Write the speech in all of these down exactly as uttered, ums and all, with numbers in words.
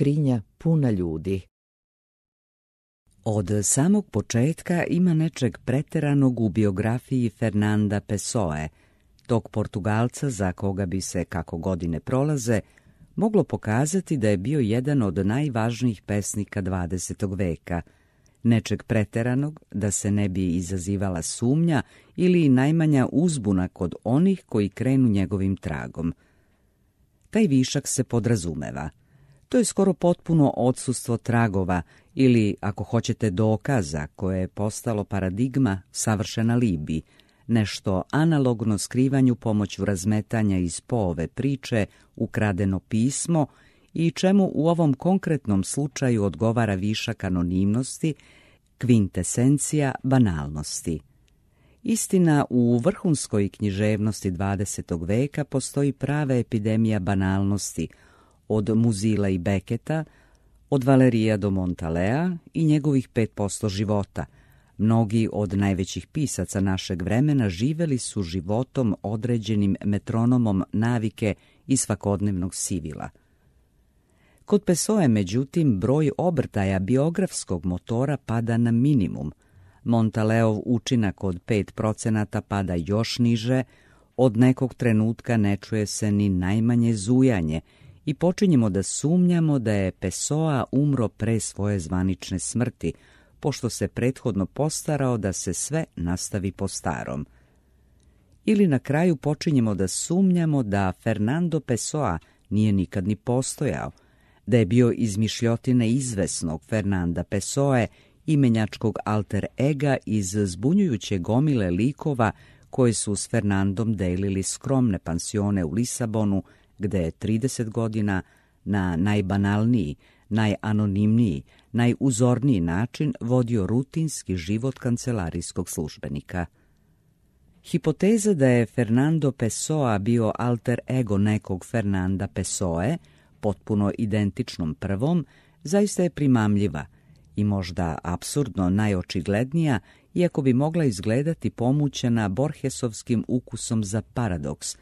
skrinja puna ljudi. Od samog početka ima nečeg preteranog u biografiji Fernanda Pessoe, tog Portugalca za koga bi se, kako godine prolaze, moglo pokazati da je bio jedan od najvažnijih pesnika dvadesetog veka, nečeg preteranog da se ne bi izazivala sumnja ili najmanja uzbuna kod onih koji krenu njegovim tragom. Taj višak se podrazumeva. To je skoro potpuno odsustvo tragova ili, ako hoćete, dokaza koje je postalo paradigma savršen alibi, nešto analogno skrivanju pomoću razmetanja iz Poove priče, ukradeno pismo i čemu u ovom konkretnom slučaju odgovara višak anonimnosti, kvintesencija banalnosti. Istina, u vrhunskoj književnosti dvadesetog veka postoji prava epidemija banalnosti, od Muzila i Beketa, od Valerija do Montalea i njegovih pet posto života. Mnogi od najvećih pisaca našeg vremena živeli su životom određenim metronomom navike i svakodnevnog sivila. Kod Pessoe, međutim, broj obrtaja biografskog motora pada na minimum. Montaleov učinak od pet procenata pada još niže, od nekog trenutka ne čuje se ni najmanje zujanje i počinjemo da sumnjamo da je Pessoa umro pre svoje zvanične smrti, pošto se prethodno postarao da se sve nastavi po starom. Ili na kraju počinjemo da sumnjamo da Fernando Pessoa nije nikad ni postojao, da je bio izmišljotine izvesnog Fernanda Pessoe, imenjačkog alter ega iz zbunjujuće gomile likova koji su s Fernandom delili skromne pansione u Lisabonu, gde je trideset godina na najbanalniji, najanonimniji, najuzorniji način vodio rutinski život kancelarijskog službenika. Hipoteza da je Fernando Pessoa bio alter ego nekog Fernanda Pessoe, potpuno identičnom prvom, zaista je primamljiva i možda apsurdno najočiglednija, iako bi mogla izgledati pomućena Borgesovskim ukusom za paradoks,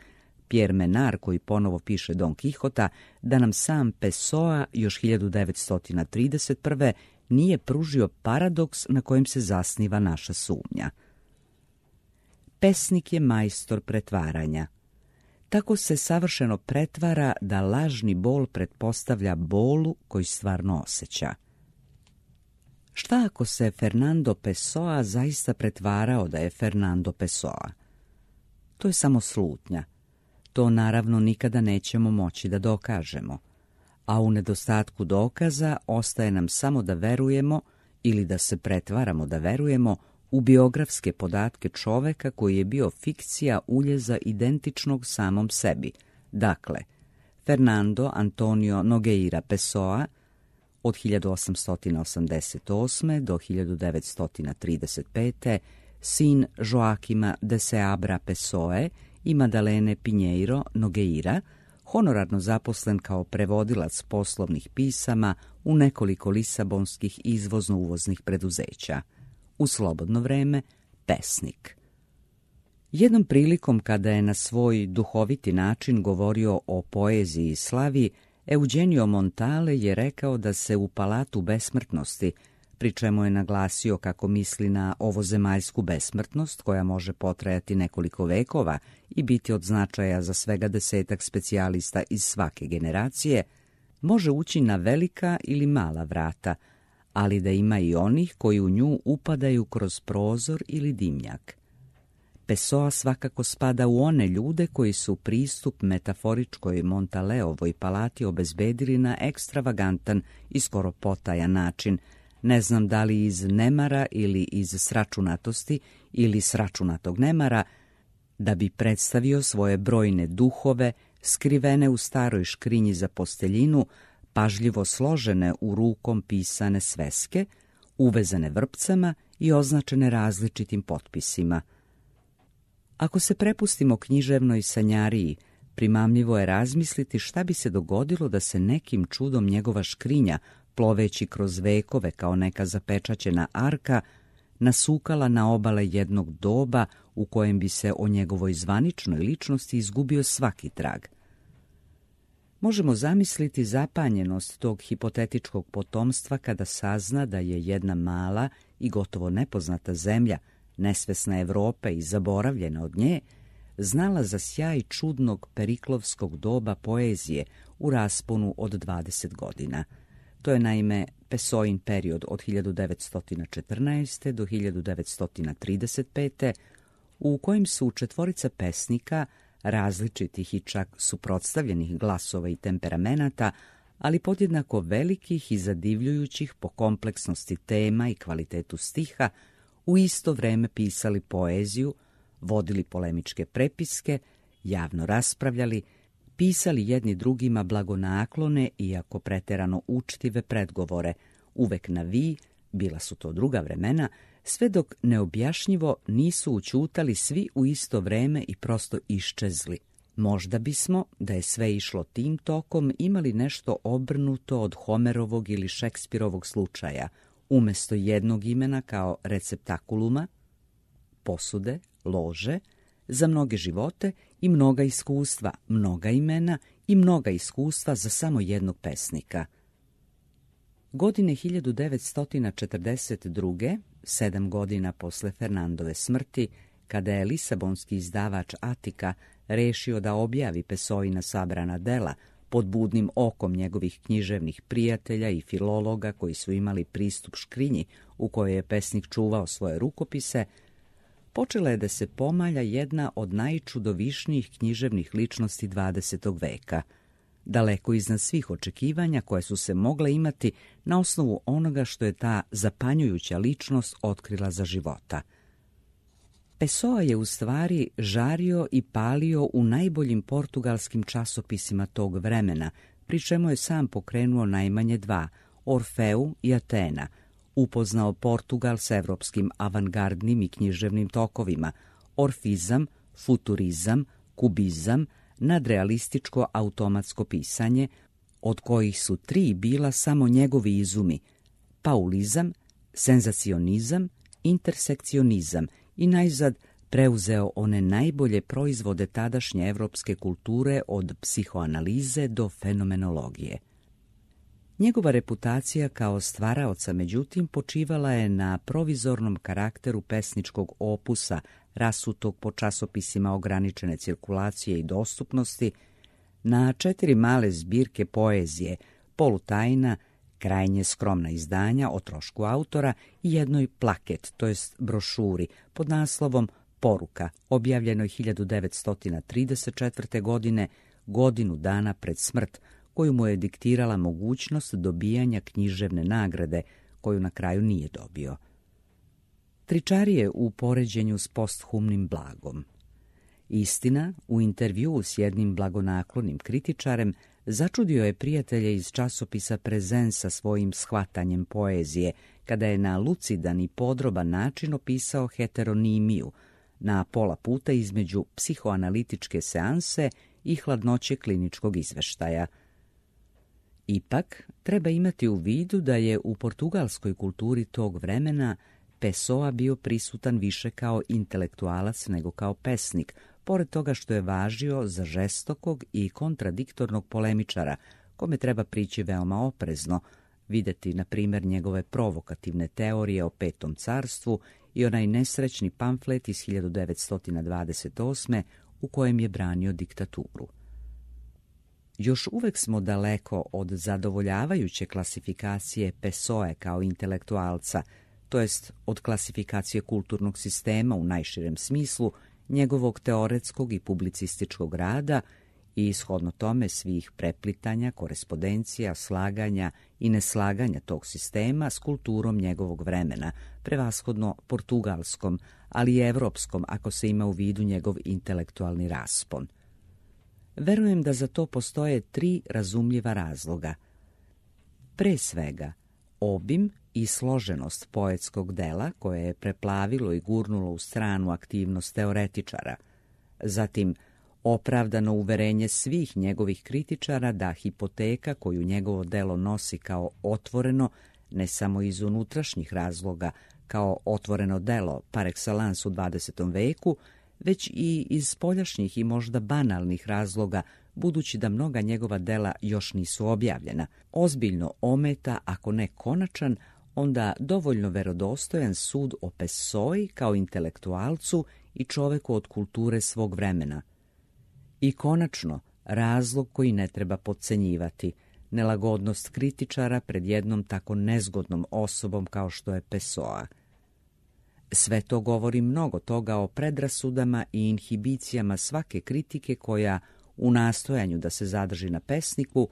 Pierre Menard, koji ponovo piše Don Quixota, da nam sam Pessoa još hiljadu devetsto trideset prve nije pružio paradoks na kojem se zasniva naša sumnja. Pesnik je majstor pretvaranja. Tako se savršeno pretvara da lažni bol pretpostavlja bolu koji stvarno osjeća. Šta ako se Fernando Pessoa zaista pretvarao da je Fernando Pessoa? To je samo slutnja. To naravno nikada nećemo moći da dokažemo, a u nedostatku dokaza ostaje nam samo da verujemo ili da se pretvaramo da verujemo u biografske podatke čoveka koji je bio fikcija uljeza identičnog samom sebi. Dakle, Fernando Antonio Nogueira Pessoa od hiljadu osamsto osamdeset osme do hiljadu devetsto trideset pete, sin Joaquima de Seabra Pessoe i Madalene Pinheiro Nogueira, honorarno zaposlen kao prevodilac poslovnih pisama u nekoliko lisabonskih izvozno-uvoznih preduzeća. U slobodno vreme pesnik. Jednom prilikom kada je na svoj duhoviti način govorio o poeziji i slavi, Eugenio Montale je rekao da se u palatu besmrtnosti, pri čemu je naglasio kako misli na ovozemaljsku besmrtnost koja može potrajati nekoliko vekova i biti od značaja za svega desetak specijalista iz svake generacije, može ući na velika ili mala vrata, ali da ima i onih koji u nju upadaju kroz prozor ili dimnjak. Pessoa svakako spada u one ljude koji su pristup metaforičkoj Montaleovoj palati obezbedili na ekstravagantan i skoro potajan način, ne znam da li iz nemara ili iz sračunatosti ili sračunatog nemara, da bi predstavio svoje brojne duhove skrivene u staroj škrinji za posteljinu, pažljivo složene u rukom pisane sveske, uvezane vrpcama i označene različitim potpisima. Ako se prepustimo književnoj sanjariji, primamljivo je razmisliti šta bi se dogodilo da se nekim čudom njegova škrinja, ploveći kroz vekove kao neka zapečaćena arka, nasukala na obale jednog doba u kojem bi se o njegovoj zvaničnoj ličnosti izgubio svaki trag. Možemo zamisliti zapanjenost tog hipotetičkog potomstva kada sazna da je jedna mala i gotovo nepoznata zemlja, nesvesna Evrope i zaboravljena od nje, znala za sjaj čudnog periklovskog doba poezije u rasponu od dvadeset godina. To je naime Pessoin period od hiljadu devetsto četrnaeste. do hiljadu devetsto trideset pete. u kojem su četvorica pesnika različitih i čak suprotstavljenih glasova i temperamenata, ali podjednako velikih i zadivljujućih po kompleksnosti tema i kvalitetu stiha, u isto vreme pisali poeziju, vodili polemičke prepiske, javno raspravljali, pisali jedni drugima blagonaklone, iako preterano učtive predgovore, uvek na vi, bila su to druga vremena, sve dok neobjašnjivo nisu ućutali svi u isto vreme i prosto iščezli. Možda bismo, da je sve išlo tim tokom, imali nešto obrnuto od Homerovog ili Šekspirovog slučaja, umjesto jednog imena kao receptakuluma, posude, lože, za mnoge živote i mnoga iskustva, mnoga imena i mnoga iskustva za samo jednog pesnika. Godine hiljadu devetsto četrdeset druge, sedam godina posle Fernandove smrti, kada je lisabonski izdavač Atika rešio da objavi Pessoina sabrana dela pod budnim okom njegovih književnih prijatelja i filologa koji su imali pristup škrinji u kojoj je pesnik čuvao svoje rukopise, počela je da se pomalja jedna od najčudovišnijih književnih ličnosti dvadesetog veka, daleko iznad svih očekivanja koje su se mogle imati na osnovu onoga što je ta zapanjujuća ličnost otkrila za života. Pessoa je u stvari žario i palio u najboljim portugalskim časopisima tog vremena, pri čemu je sam pokrenuo najmanje dva, Orfeu i Atena, upoznao Portugal s evropskim avangardnim i književnim tokovima, orfizam, futurizam, kubizam, nadrealističko automatsko pisanje, od kojih su tri bila samo njegovi izumi, paulizam, senzacionizam, intersekcionizam i najzad preuzeo one najbolje proizvode tadašnje evropske kulture od psihoanalize do fenomenologije. Njegova reputacija kao stvaraoca, međutim, počivala je na provizornom karakteru pesničkog opusa, rasutog po časopisima ograničene cirkulacije i dostupnosti, na četiri male zbirke poezije, polutajna, krajnje skromna izdanja o trošku autora i jednoj plaket, to jest brošuri, pod naslovom Poruka, objavljenoj hiljadu devetsto trideset četvrte. godine, godinu dana pred smrt, koju mu je diktirala mogućnost dobijanja književne nagrade, koju na kraju nije dobio. Tričarije u poređenju s posthumnim blagom. Istina, u intervjuu s jednim blagonaklonim kritičarem začudio je prijatelje iz časopisa Prezen sa svojim shvatanjem poezije, kada je na lucidan i podroban način opisao heteronimiju, na pola puta između psihoanalitičke seanse i hladnoće kliničkog izveštaja. Ipak, treba imati u vidu da je u portugalskoj kulturi tog vremena Pessoa bio prisutan više kao intelektualac nego kao pesnik, pored toga što je važio za žestokog i kontradiktornog polemičara, kome treba prići veoma oprezno, videti, na primjer, njegove provokativne teorije o Petom carstvu i onaj nesrećni pamflet iz hiljadu devetsto dvadeset osme. u kojem je branio diktaturu. Još uvek smo daleko od zadovoljavajuće klasifikacije Pessoe kao intelektualca, to jest od klasifikacije kulturnog sistema u najširem smislu, njegovog teoretskog i publicističkog rada i ishodno tome svih preplitanja, korespondencija, slaganja i neslaganja tog sistema s kulturom njegovog vremena, prevashodno portugalskom, ali i evropskom ako se ima u vidu njegov intelektualni raspon. Verujem da za to postoje tri razumljiva razloga. Pre svega, obim i složenost poetskog dela koje je preplavilo i gurnulo u stranu aktivnost teoretičara, zatim opravdano uverenje svih njegovih kritičara da hipoteka koju njegovo delo nosi kao otvoreno, ne samo iz unutrašnjih razloga, kao otvoreno delo par excellence u dvadesetom veku, već i iz spoljašnjih i možda banalnih razloga budući da mnoga njegova dela još nisu objavljena, ozbiljno ometa, ako ne konačan, onda dovoljno verodostojan sud o Pessoi kao intelektualcu i čoveku od kulture svog vremena. I konačno, razlog koji ne treba podcenjivati, nelagodnost kritičara pred jednom tako nezgodnom osobom kao što je Pessoa. Sve to govori mnogo toga o predrasudama i inhibicijama svake kritike koja, u nastojanju da se zadrži na pesniku,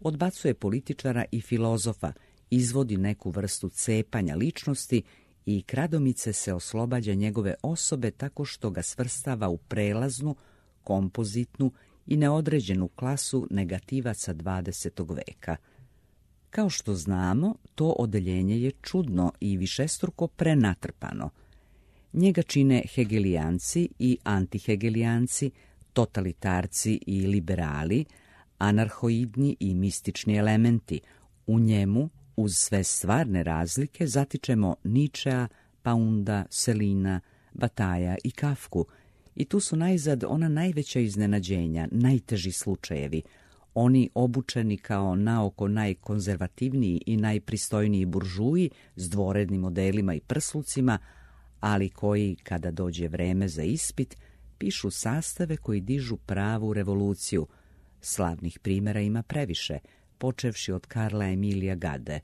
odbacuje političara i filozofa, izvodi neku vrstu cepanja ličnosti i kradomice se oslobađa njegove osobe tako što ga svrstava u prelaznu, kompozitnu i neodređenu klasu negativaca dvadesetog veka. Kao što znamo, to odeljenje je čudno i višestruko prenatrpano. Njega čine hegelijanci i antihegelijanci, totalitarci i liberali, anarhoidni i mistični elementi. U njemu, uz sve stvarne razlike, zatičemo Ničea, Paunda, Selina, Bataja i Kafku, i tu su najzad ona najveća iznenađenja, najteži slučajevi, oni obučeni kao naoko najkonzervativniji i najpristojniji buržuji s dvorednim modelima i prslucima, ali koji, kada dođe vreme za ispit, pišu sastave koji dižu pravu revoluciju. Slavnih primjera ima previše, počevši od Karla Emilija Gade.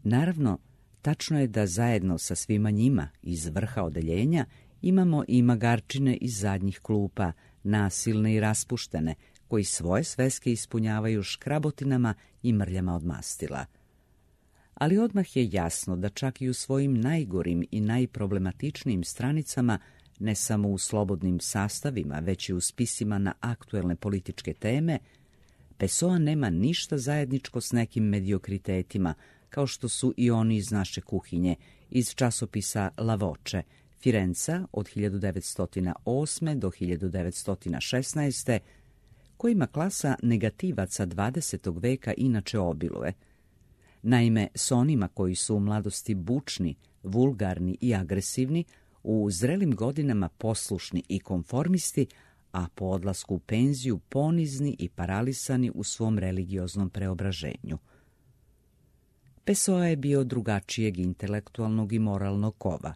Naravno, tačno je da zajedno sa svima njima iz vrha odeljenja imamo i magarčine iz zadnjih klupa, nasilne i raspuštene, koji svoje sveske ispunjavaju škrabotinama i mrljama od mastila. Ali odmah je jasno da čak i u svojim najgorim i najproblematičnijim stranicama, ne samo u slobodnim sastavima, već i u spisima na aktuelne političke teme, Pessoa nema ništa zajedničko s nekim mediokritetima, kao što su i oni iz naše kuhinje, iz časopisa La Voce, Firenca od hiljadu devetsto osme do hiljadu devetsto šesnaeste, kojima klasa negativaca dvadesetog veka inače obiluje. Naime, s onima koji su u mladosti bučni, vulgarni i agresivni, u zrelim godinama poslušni i konformisti, a po odlasku u penziju ponizni i paralisani u svom religioznom preobraženju. Pessoa je bio drugačijeg intelektualnog i moralnog kova.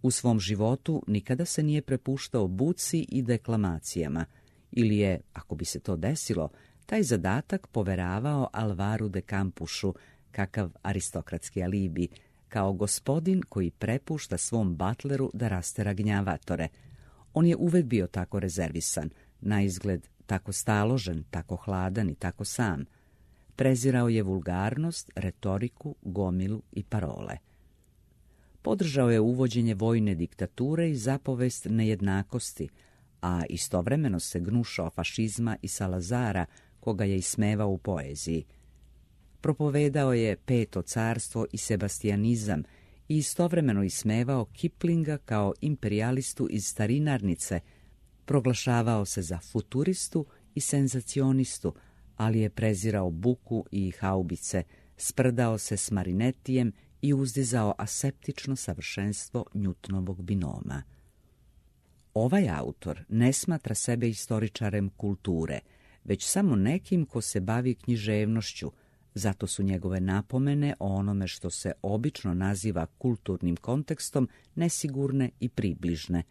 U svom životu nikada se nije prepuštao buci i deklamacijama, ili je, ako bi se to desilo, taj zadatak poveravao Alvaru de Campusu, kakav aristokratski alibi, kao gospodin koji prepušta svom batleru da rastera gnjavatore. On je uvek bio tako rezervisan, na izgled tako staložen, tako hladan i tako sam. Prezirao je vulgarnost, retoriku, gomilu i parole. Podržao je uvođenje vojne diktature i zapovest nejednakosti, a istovremeno se gnušao fašizma i Salazara, koga je ismevao u poeziji. Propovedao je Peto carstvo i sebastijanizam i istovremeno ismevao Kiplinga kao imperijalistu iz starinarnice, proglašavao se za futuristu i senzacionistu, ali je prezirao buku i haubice, sprdao se s Marinetijem i uzdizao aseptično savršenstvo Newtonovog binoma. Ovaj autor ne smatra sebe istoričarem kulture, već samo nekim ko se bavi književnošću, zato su njegove napomene o onome što se obično naziva kulturnim kontekstom nesigurne i približne.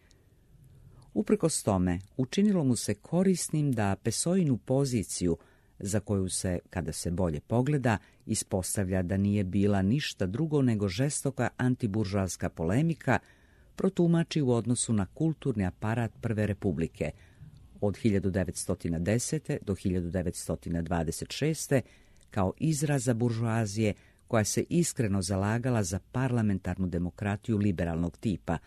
Uprkos tome, učinilo mu se korisnim da Pessoinu poziciju, za koju se, kada se bolje pogleda, ispostavlja da nije bila ništa drugo nego žestoka antiburžoaska polemika, protumači u odnosu na kulturni aparat Prve republike od hiljadu devetsto desete. do hiljadu devetsto dvadeset šeste. kao izraza buržoazije koja se iskreno zalagala za parlamentarnu demokratiju liberalnog tipa,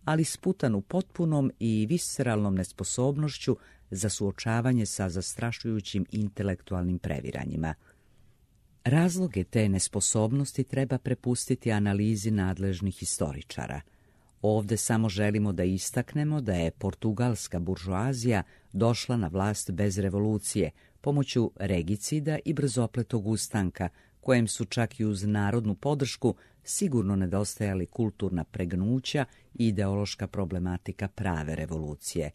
ali sputanu potpunom i visceralnom nesposobnošću za suočavanje sa zastrašujućim intelektualnim previranjima. Razloge te nesposobnosti treba prepustiti analizi nadležnih historičara. Ovde samo želimo da istaknemo da je portugalska buržoazija došla na vlast bez revolucije, pomoću regicida i brzopletog ustanka, kojem su čak i uz narodnu podršku sigurno nedostajali kulturna pregnuća i ideološka problematika prave revolucije.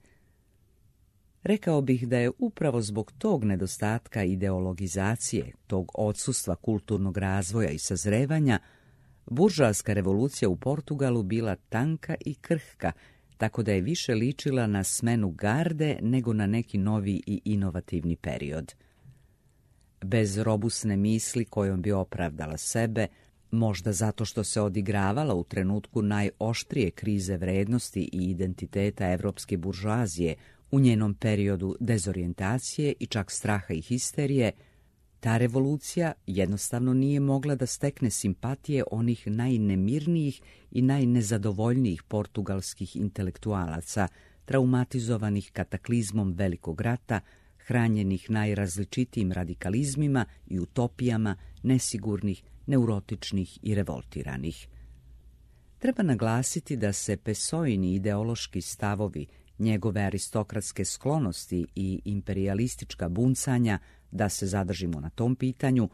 Rekao bih da je upravo zbog tog nedostatka ideologizacije, tog odsustva kulturnog razvoja i sazrevanja, buržoaska revolucija u Portugalu bila tanka i krhka, tako da je više ličila na smenu garde nego na neki novi i inovativni period. Bez robusne misli kojom bi opravdala sebe, možda zato što se odigravala u trenutku najoštrije krize vrednosti i identiteta evropske buržoazije u njenom periodu dezorijentacije i čak straha i histerije, ta revolucija jednostavno nije mogla da stekne simpatije onih najnemirnijih i najnezadovoljnijih portugalskih intelektualaca, traumatizovanih kataklizmom Velikog rata, hranjenih najrazličitijim radikalizmima i utopijama, nesigurnih, neurotičnih i revoltiranih. Treba naglasiti da se Pessoini ideološki stavovi, njegove aristokratske sklonosti i imperijalistička buncanja, da se zadržimo na tom pitanju,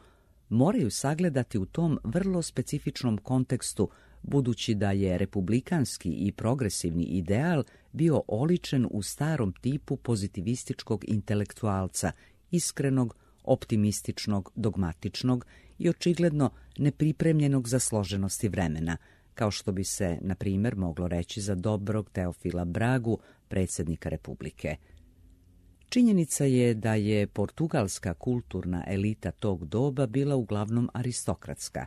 moraju sagledati u tom vrlo specifičnom kontekstu, budući da je republikanski i progresivni ideal bio oličen u starom tipu pozitivističkog intelektualca, iskrenog, optimističnog, dogmatičnog i očigledno nepripremljenog za složenosti vremena, kao što bi se, na primjer, moglo reći za dobrog Teofila Bragu, predsjednika Republike. Činjenica je da je portugalska kulturna elita tog doba bila uglavnom aristokratska.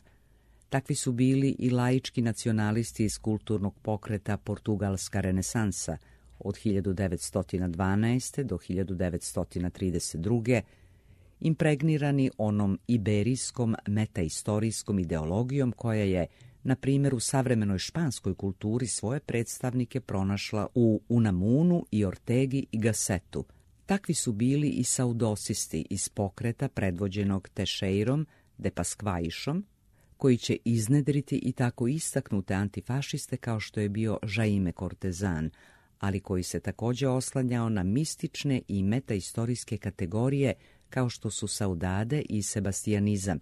Takvi su bili i laički nacionalisti iz kulturnog pokreta Portugalska renesansa od hiljadu devetsto dvanaeste. do hiljadu devetsto trideset druge. impregnirani onom iberijskom metaistorijskom ideologijom koja je, na primjer, u savremenoj španskoj kulturi svoje predstavnike pronašla u Unamunu i Ortegi i Gassetu. Takvi su bili i saudosisti iz pokreta predvođenog Teixeirom de Pasquaišom, koji će iznedriti i tako istaknute antifašiste kao što je bio Jaime Cortezan, ali koji se također oslanjao na mistične i metaistorijske kategorije kao što su saudade i sebastijanizam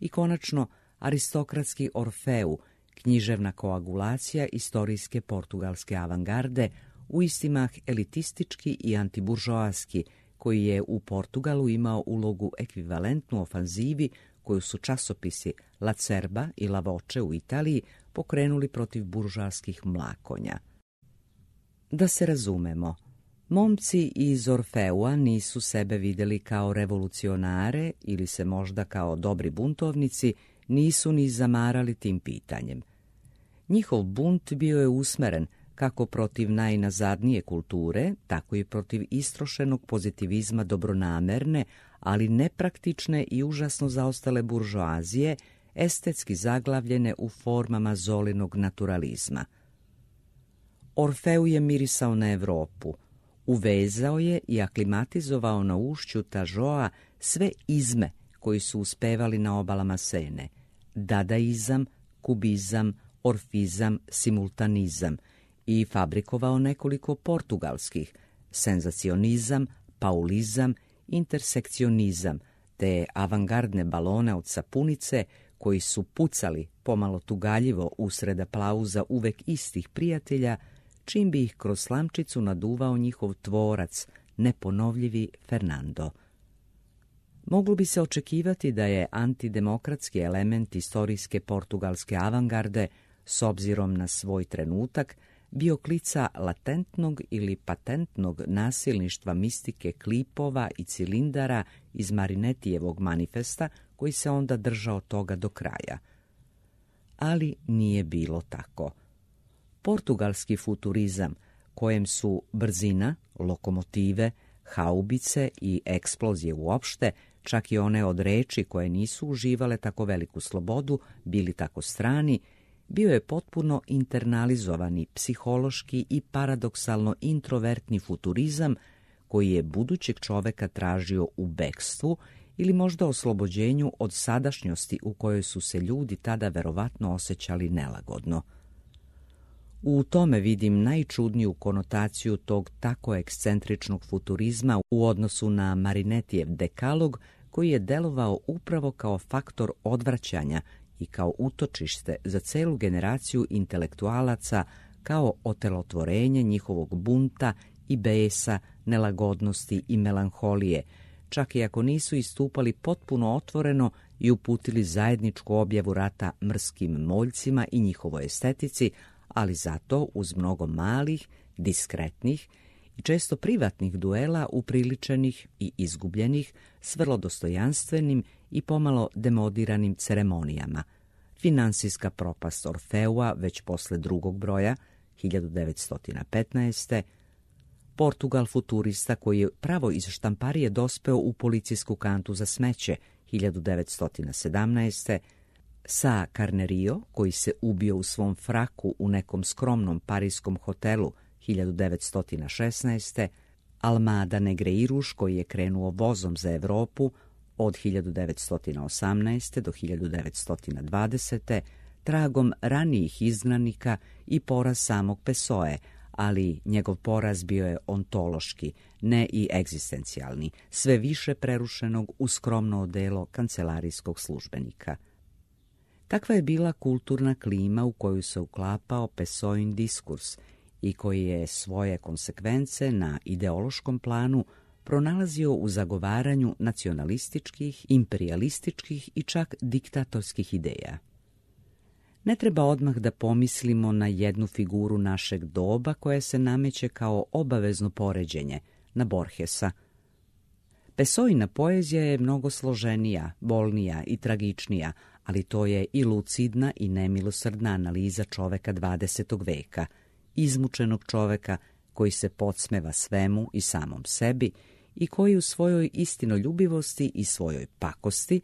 i konačno aristokratski Orfeu, književna koagulacija istorijske portugalske avangarde, uistimah elitistički i antiburžoaski, koji je u Portugalu imao ulogu ekvivalentnu ofanzivi koju su časopisi La Cerba i La Voce u Italiji pokrenuli protiv buržoaskih mlakonja. Da se razumemo, momci iz Orfeua nisu sebe vidjeli kao revolucionare ili se možda kao dobri buntovnici nisu ni zamarali tim pitanjem. Njihov bunt bio je usmeren kako protiv najnazadnije kulture, tako i protiv istrošenog pozitivizma dobronamerne, ali nepraktične i užasno zaostale buržoazije, estetski zaglavljene u formama Zolinog naturalizma. Orfeu je mirisao na Evropu, uvezao je i aklimatizovao na ušću Tažoa sve izme koji su uspevali na obalama Sene, dadaizam, kubizam, orfizam, simultanizam, i fabrikovao nekoliko portugalskih, senzacionizam, paulizam, intersekcionizam, te avangardne balone od sapunice koji su pucali pomalo tugaljivo usred aplauza uvek istih prijatelja, čim bi ih kroz slamčicu naduvao njihov tvorac, neponovljivi Fernando. Moglo bi se očekivati da je antidemokratski element istorijske portugalske avangarde, s obzirom na svoj trenutak, bio klica latentnog ili patentnog nasilništva mistike klipova i cilindara iz Marinetijevog manifesta, koji se onda držao toga do kraja. Ali nije bilo tako. Portugalski futurizam, kojem su brzina, lokomotive, haubice i eksplozije uopšte, čak i one od reči koje nisu uživale tako veliku slobodu, bili tako strani, bio je potpuno internalizovani, psihološki i paradoksalno introvertni futurizam koji je budućeg čoveka tražio u bekstvu ili možda oslobođenju od sadašnjosti u kojoj su se ljudi tada verovatno osjećali nelagodno. U tome vidim najčudniju konotaciju tog tako ekscentričnog futurizma u odnosu na Marinetijev dekalog, koji je delovao upravo kao faktor odvraćanja i kao utočište za celu generaciju intelektualaca, kao otelotvorenje njihovog bunta i besa, nelagodnosti i melanholije, čak i ako nisu istupali potpuno otvoreno i uputili zajedničku objavu rata mrskim moljcima i njihovoj estetici, ali zato uz mnogo malih, diskretnih i često privatnih duela upriličenih i izgubljenih s vrlo dostojanstvenim i pomalo demodiranim ceremonijama. Finansijska propast Orfeua već posle drugog broja, hiljadu devetsto petnaeste. Portugal futurista koji je pravo iz štamparije dospeo u policijsku kantu za smeće, hiljadu devetsto sedamnaeste. Sa Carnerio, koji se ubio u svom fraku u nekom skromnom parijskom hotelu, hiljadu devetsto šesnaeste. Almada Negreiruš, koji je krenuo vozom za Evropu od hiljadu devetsto osamnaeste. do hiljadu devetsto dvadesete. tragom ranijih izgnanika i poraz samog Pessoe, ali njegov poraz bio je ontološki, ne i egzistencijalni, sve više prerušenog u skromno odelo kancelarijskog službenika. Takva je bila kulturna klima u koju se uklapao Pessoin diskurs i koji je svoje konsekvence na ideološkom planu pronalazio u zagovaranju nacionalističkih, imperialističkih i čak diktatorskih ideja. Ne treba odmah da pomislimo na jednu figuru našeg doba koja se nameće kao obavezno poređenje, na Borgesa. Pessoina poezija je mnogo složenija, bolnija i tragičnija, ali to je i lucidna i nemilosrdna analiza čoveka dvadesetog veka, izmučenog čoveka koji se podsmeva svemu i samom sebi i koji u svojoj istinoljubivosti i svojoj pakosti,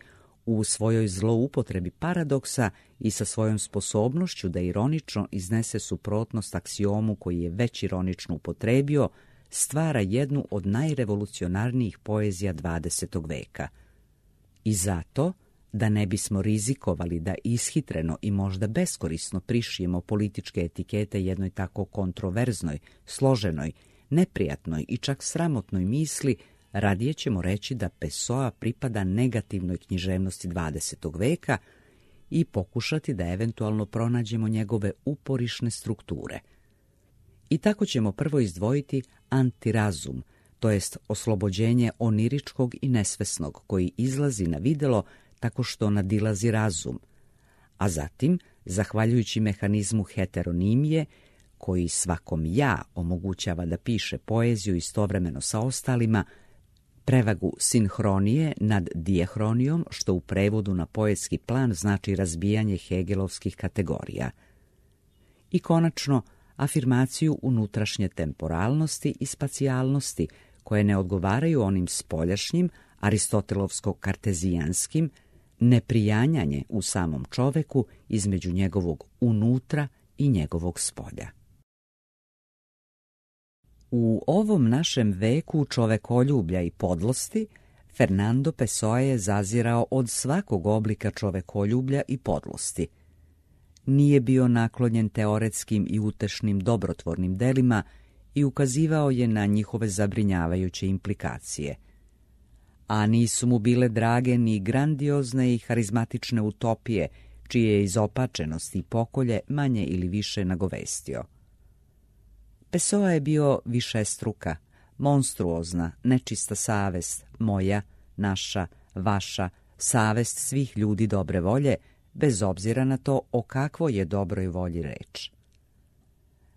u svojoj zloupotrebi paradoksa i sa svojom sposobnošću da ironično iznese suprotnost aksiomu koji je već ironično upotrebio, stvara jednu od najrevolucionarnijih poezija dvadesetog veka. I zato, da ne bismo rizikovali da ishitreno i možda beskorisno prišijemo političke etikete jednoj tako kontroverznoj, složenoj, neprijatnoj i čak sramotnoj misli, radije ćemo reći da Pessoa pripada negativnoj književnosti dvadesetog veka i pokušati da eventualno pronađemo njegove uporišne strukture. I tako ćemo prvo izdvojiti antirazum, to jest oslobođenje oniričkog i nesvesnog koji izlazi na videlo tako što nadilazi razum, a zatim, zahvaljujući mehanizmu heteronimije, koji svakom ja omogućava da piše poeziju istovremeno sa ostalima, prevagu sinhronije nad dijehronijom, što u prevodu na poetski plan znači razbijanje hegelovskih kategorija. I konačno, afirmaciju unutrašnje temporalnosti i spacijalnosti, koje ne odgovaraju onim spoljašnjim, aristotelovsko-kartezijanskim, neprijanjanje u samom čoveku između njegovog unutra i njegovog spolja. U ovom našem veku čovekoljublja i podlosti, Fernando Pessoa je zazirao od svakog oblika čovekoljublja i podlosti. Nije bio naklonjen teoretskim i utešnim dobrotvornim delima i ukazivao je na njihove zabrinjavajuće implikacije. A nisu mu bile drage ni grandiozne i harizmatične utopije, čije je izopačenost i pokolje manje ili više nagovestio. Pessoa je bio višestruka, monstruozna, nečista savest, moja, naša, vaša, savest svih ljudi dobre volje, bez obzira na to o kakvoj je dobroj volji reč.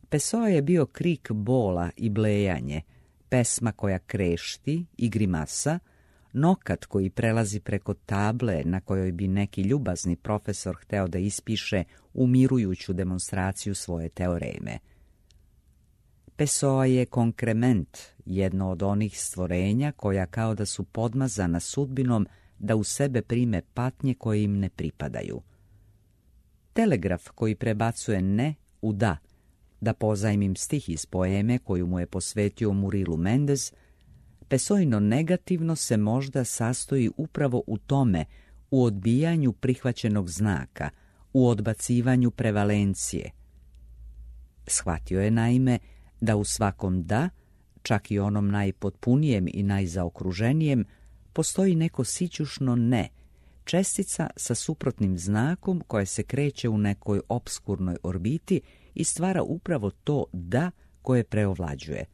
Pessoa je bio krik bola i blejanje, pesma koja krešti i grimasa, nokat koji prelazi preko table na kojoj bi neki ljubazni profesor hteo da ispiše umirujuću demonstraciju svoje teoreme. Pessoa je konkrement, jedno od onih stvorenja koja kao da su podmazana sudbinom da u sebe prime patnje koje im ne pripadaju. Telegraf koji prebacuje ne u da, da pozajmim stih iz poeme koju mu je posvetio Murilo Mendes, Pessoino negativno se možda sastoji upravo u tome, u odbijanju prihvaćenog znaka, u odbacivanju prevalencije. Shvatio je naime da u svakom da, čak i onom najpotpunijem i najzaokruženijem, postoji neko sićušno ne, čestica sa suprotnim znakom koja se kreće u nekoj opskurnoj orbiti i stvara upravo to da koje preovlađuje.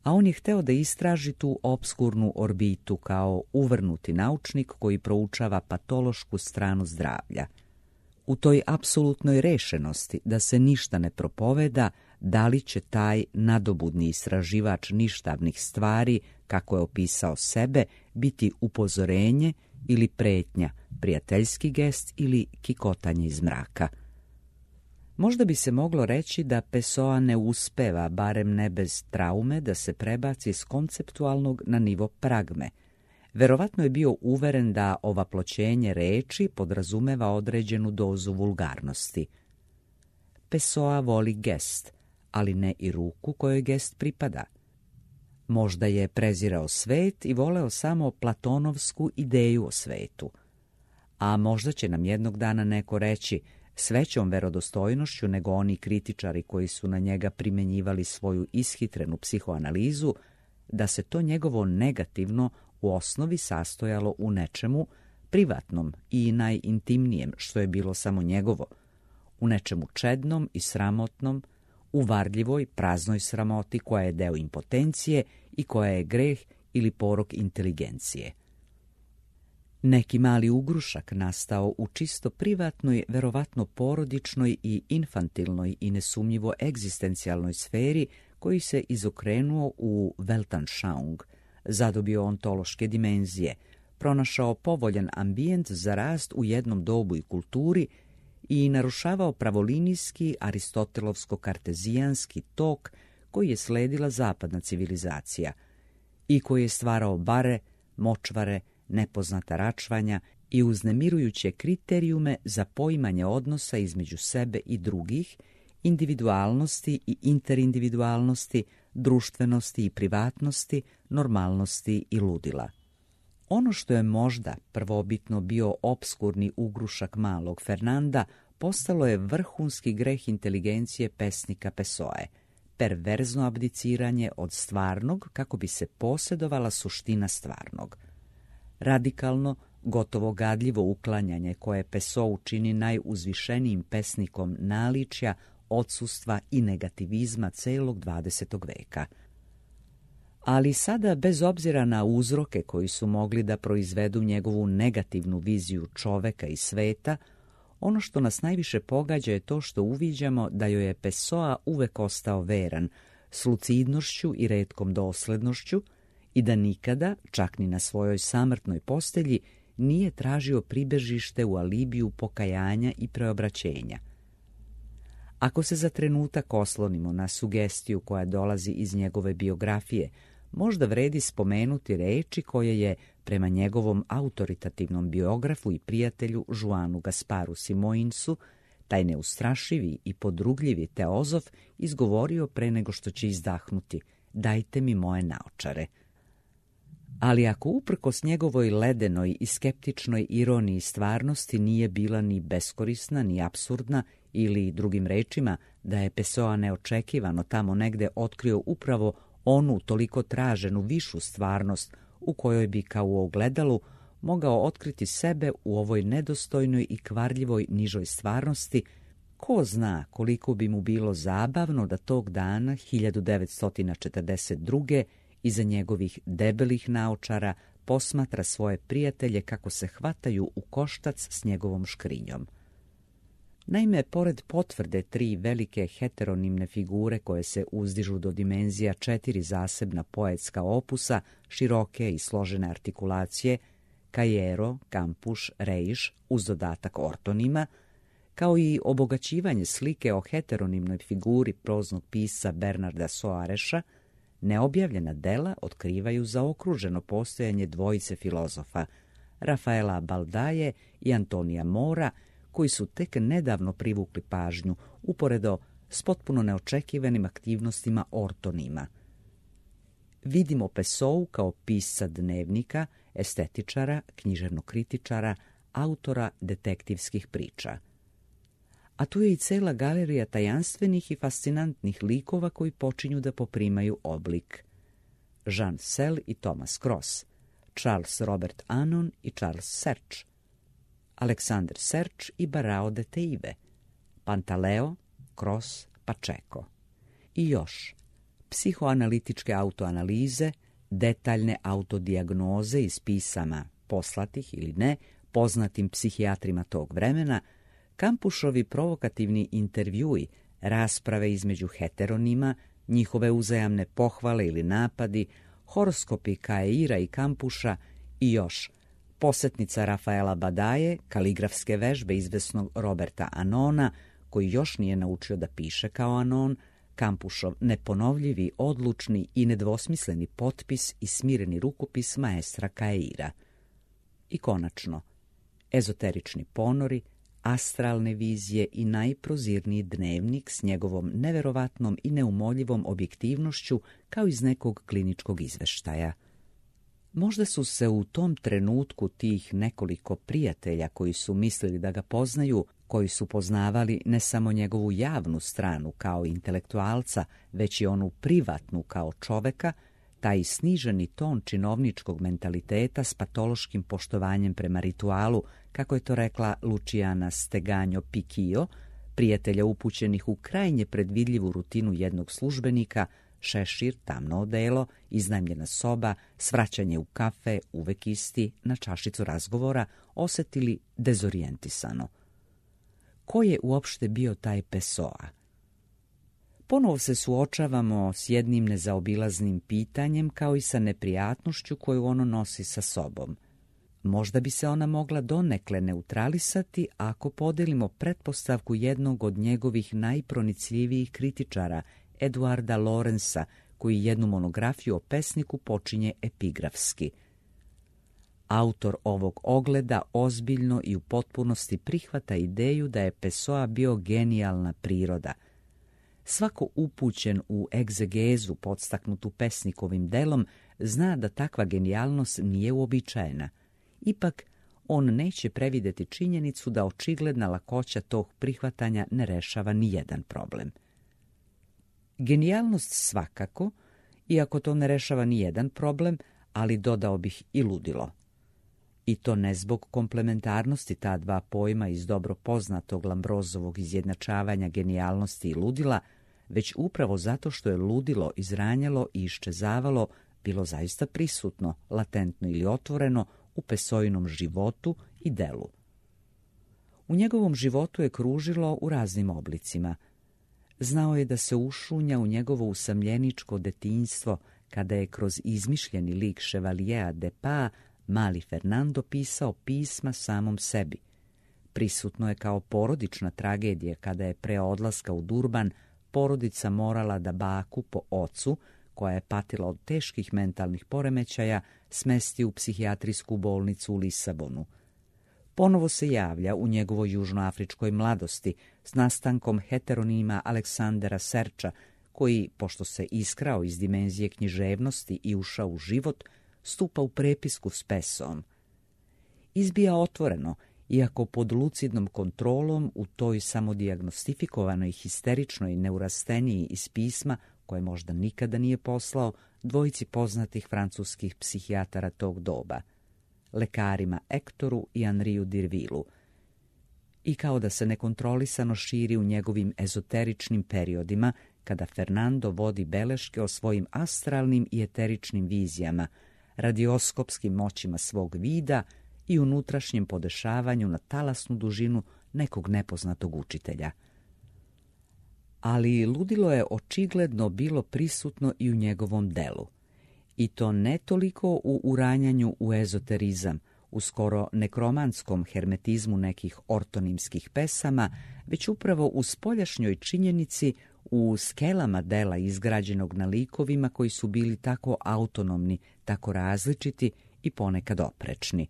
a on je hteo da istraži tu opskurnu orbitu kao uvrnuti naučnik koji proučava patološku stranu zdravlja. U toj apsolutnoj rešenosti da se ništa ne propoveda, da li će taj nadobudni istraživač ništavnih stvari, kako je opisao sebe, biti upozorenje ili pretnja, prijateljski gest ili kikotanje iz mraka. Možda bi se moglo reći da Pessoa ne uspeva, barem ne bez traume, da se prebaci s konceptualnog na nivo pragme. Verovatno je bio uveren da ovaploćenje reči podrazumeva određenu dozu vulgarnosti. Pessoa voli gest, ali ne i ruku kojoj gest pripada. Možda je prezirao svet i voleo samo platonovsku ideju o svetu. A možda će nam jednog dana neko reći s većom verodostojnošću nego oni kritičari koji su na njega primenjivali svoju ishitrenu psihoanalizu, da se to njegovo negativno u osnovi sastojalo u nečemu privatnom i najintimnijem, što je bilo samo njegovo, u nečemu čednom i sramotnom, u varljivoj, praznoj sramoti koja je deo impotencije i koja je greh ili porok inteligencije. Neki mali ugrušak nastao u čisto privatnoj, verovatno porodičnoj i infantilnoj i nesumnjivo egzistencijalnoj sferi koji se izokrenuo u Weltanschauung, zadobio ontološke dimenzije, pronašao povoljan ambijent za rast u jednom dobu i kulturi i narušavao pravolinijski aristotelovsko-kartezijanski tok koji je sledila zapadna civilizacija i koji je stvarao bare, močvare, nepoznata račvanja i uznemirujuće kriterijume za poimanje odnosa između sebe i drugih, individualnosti i interindividualnosti, društvenosti i privatnosti, normalnosti i ludila. Ono što je možda prvobitno bio opskurni ugrušak malog Fernanda, postalo je vrhunski greh inteligencije pesnika Pessoe, perverzno abdiciranje od stvarnog kako bi se posjedovala suština stvarnog. Radikalno, gotovo gadljivo uklanjanje koje Pessoa čini najuzvišenijim pesnikom naličja, odsustva i negativizma celog dvadesetog veka. Ali sada, bez obzira na uzroke koji su mogli da proizvedu njegovu negativnu viziju čoveka i sveta, ono što nas najviše pogađa je to što uviđamo da joj je Pessoa uvek ostao veran, s lucidnošću i retkom doslednošću, i da nikada, čak ni na svojoj samrtnoj postelji, nije tražio pribežište u alibiju pokajanja i preobraćenja. Ako se za trenutak oslonimo na sugestiju koja dolazi iz njegove biografije, možda vredi spomenuti reči koje je, prema njegovom autoritativnom biografu i prijatelju Joanu Gasparu Simoinsu, taj neustrašivi i podrugljivi teozof izgovorio pre nego što će izdahnuti: "Dajte mi moje naočare." Ali ako uprkos njegovoj ledenoj i skeptičnoj ironiji stvarnosti nije bila ni beskorisna, ni apsurdna, ili drugim rečima da je Pessoa neočekivano tamo negde otkrio upravo onu toliko traženu višu stvarnost u kojoj bi kao u ogledalu mogao otkriti sebe u ovoj nedostojnoj i kvarljivoj nižoj stvarnosti, ko zna koliko bi mu bilo zabavno da tog dana hiljadu devetsto četrdeset druge iza njegovih debelih naočara posmatra svoje prijatelje kako se hvataju u koštac s njegovom škrinjom. Naime, pored potvrde tri velike heteronimne figure koje se uzdižu do dimenzija četiri zasebna poetska opusa, široke i složene artikulacije, Kajero, Kampuš, Rejš, uz dodatak ortonima, kao i obogaćivanje slike o heteronimnoj figuri proznog pisca Bernarda Soareša, neobjavljena dela otkrivaju zaokruženo postojanje dvojice filozofa, Rafaela Baldaje i Antonija Mora, koji su tek nedavno privukli pažnju uporedo s potpuno neočekivanim aktivnostima ortonima. Vidimo Pessou kao pisca dnevnika, estetičara, književnog kritičara, autora detektivskih priča. A tu je i cela galerija tajanstvenih i fascinantnih likova koji počinju da poprimaju oblik. Jean Sel i Thomas Cross, Charles Robert Anon i Charles Serge, Alexander Serge i Barao de Teive, Pantaleo, Cross, Pacheco. I još, psihoanalitičke autoanalize, detaljne autodijagnoze iz pisama poslatih ili ne poznatim psihijatrima tog vremena, Kampušovi provokativni intervjui, rasprave između heteronima, njihove uzajamne pohvale ili napadi, horoskopi Kaeira i Kampuša i još posjetnica Rafaela Badaje, kaligrafske vežbe izvesnog Roberta Anona, koji još nije naučio da piše kao Anon, Kampušov neponovljivi, odlučni i nedvosmisleni potpis i smireni rukopis maestra Kaeira. I konačno, ezoterični ponori, astralne vizije i najprozirniji dnevnik s njegovom neverovatnom i neumoljivom objektivnošću kao iz nekog kliničkog izveštaja. Možda su se u tom trenutku tih nekoliko prijatelja koji su mislili da ga poznaju, koji su poznavali ne samo njegovu javnu stranu kao intelektualca, već i onu privatnu kao čoveka, taj sniženi ton činovničkog mentaliteta s patološkim poštovanjem prema ritualu, kako je to rekla Luciana Steganjo Picchio, prijatelja upućenih u krajnje predvidljivu rutinu jednog službenika, šešir, tamno odelo, iznajmljena soba, svraćanje u kafe, uvek isti, na čašicu razgovora, osetili dezorijentisano. Ko je uopšte bio taj Pessoa? Ponovo se suočavamo s jednim nezaobilaznim pitanjem kao i sa neprijatnošću koju ono nosi sa sobom. Možda bi se ona mogla donekle neutralisati ako podelimo pretpostavku jednog od njegovih najpronicljivijih kritičara, Eduarda Lorenza, koji jednu monografiju o pesniku počinje epigrafski. Autor ovog ogleda ozbiljno i u potpunosti prihvata ideju da je Pessoa bio genijalna priroda. Svako upućen u egzegezu podstaknutu pesnikovim delom zna da takva genijalnost nije uobičajena. Ipak, on neće prevideti činjenicu da očigledna lakoća tog prihvatanja ne rešava ni jedan problem. Genijalnost svakako, iako to ne rešava ni jedan problem, ali dodao bih i ludilo. I to ne zbog komplementarnosti ta dva pojma iz dobro poznatog Lambrozovog izjednačavanja genijalnosti i ludila, već upravo zato što je ludilo izranjalo i iščezavalo, bilo zaista prisutno, latentno ili otvoreno, u Pessoinom životu i delu. U njegovom životu je kružilo u raznim oblicima. Znao je da se ušunja u njegovo usamljeničko detinjstvo, kada je kroz izmišljeni lik Chevalijea de Pa mali Fernando pisao pisma samom sebi. Prisutno je kao porodična tragedija kada je pre odlaska u Durban porodica morala da baku po ocu, koja je patila od teških mentalnih poremećaja, smesti u psihijatrijsku bolnicu u Lisabonu. Ponovo se javlja u njegovoj južnoafričkoj mladosti s nastankom heteronima Aleksandera Serča, koji, pošto se iskrao iz dimenzije književnosti i ušao u život, stupa u prepisku s Pessoom. Izbija otvoreno, iako pod lucidnom kontrolom u toj samodijagnostifikovanoj histeričnoj neurasteniji iz pisma, koje možda nikada nije poslao, dvojici poznatih francuskih psihijatara tog doba, lekarima Ektoru i Anriju Dirvilu, i kao da se nekontrolisano širi u njegovim ezoteričnim periodima, kada Fernando vodi beleške o svojim astralnim i eteričnim vizijama, radioskopskim moćima svog vida i unutrašnjem podešavanju na talasnu dužinu nekog nepoznatog učitelja. Ali ludilo je očigledno bilo prisutno i u njegovom delu. I to ne toliko u uranjanju u ezoterizam, u skoro nekromanskom hermetizmu nekih ortonimskih pesama, već upravo u spoljašnjoj činjenici, u skelama dela izgrađenog na likovima koji su bili tako autonomni, tako različiti i ponekad oprečni.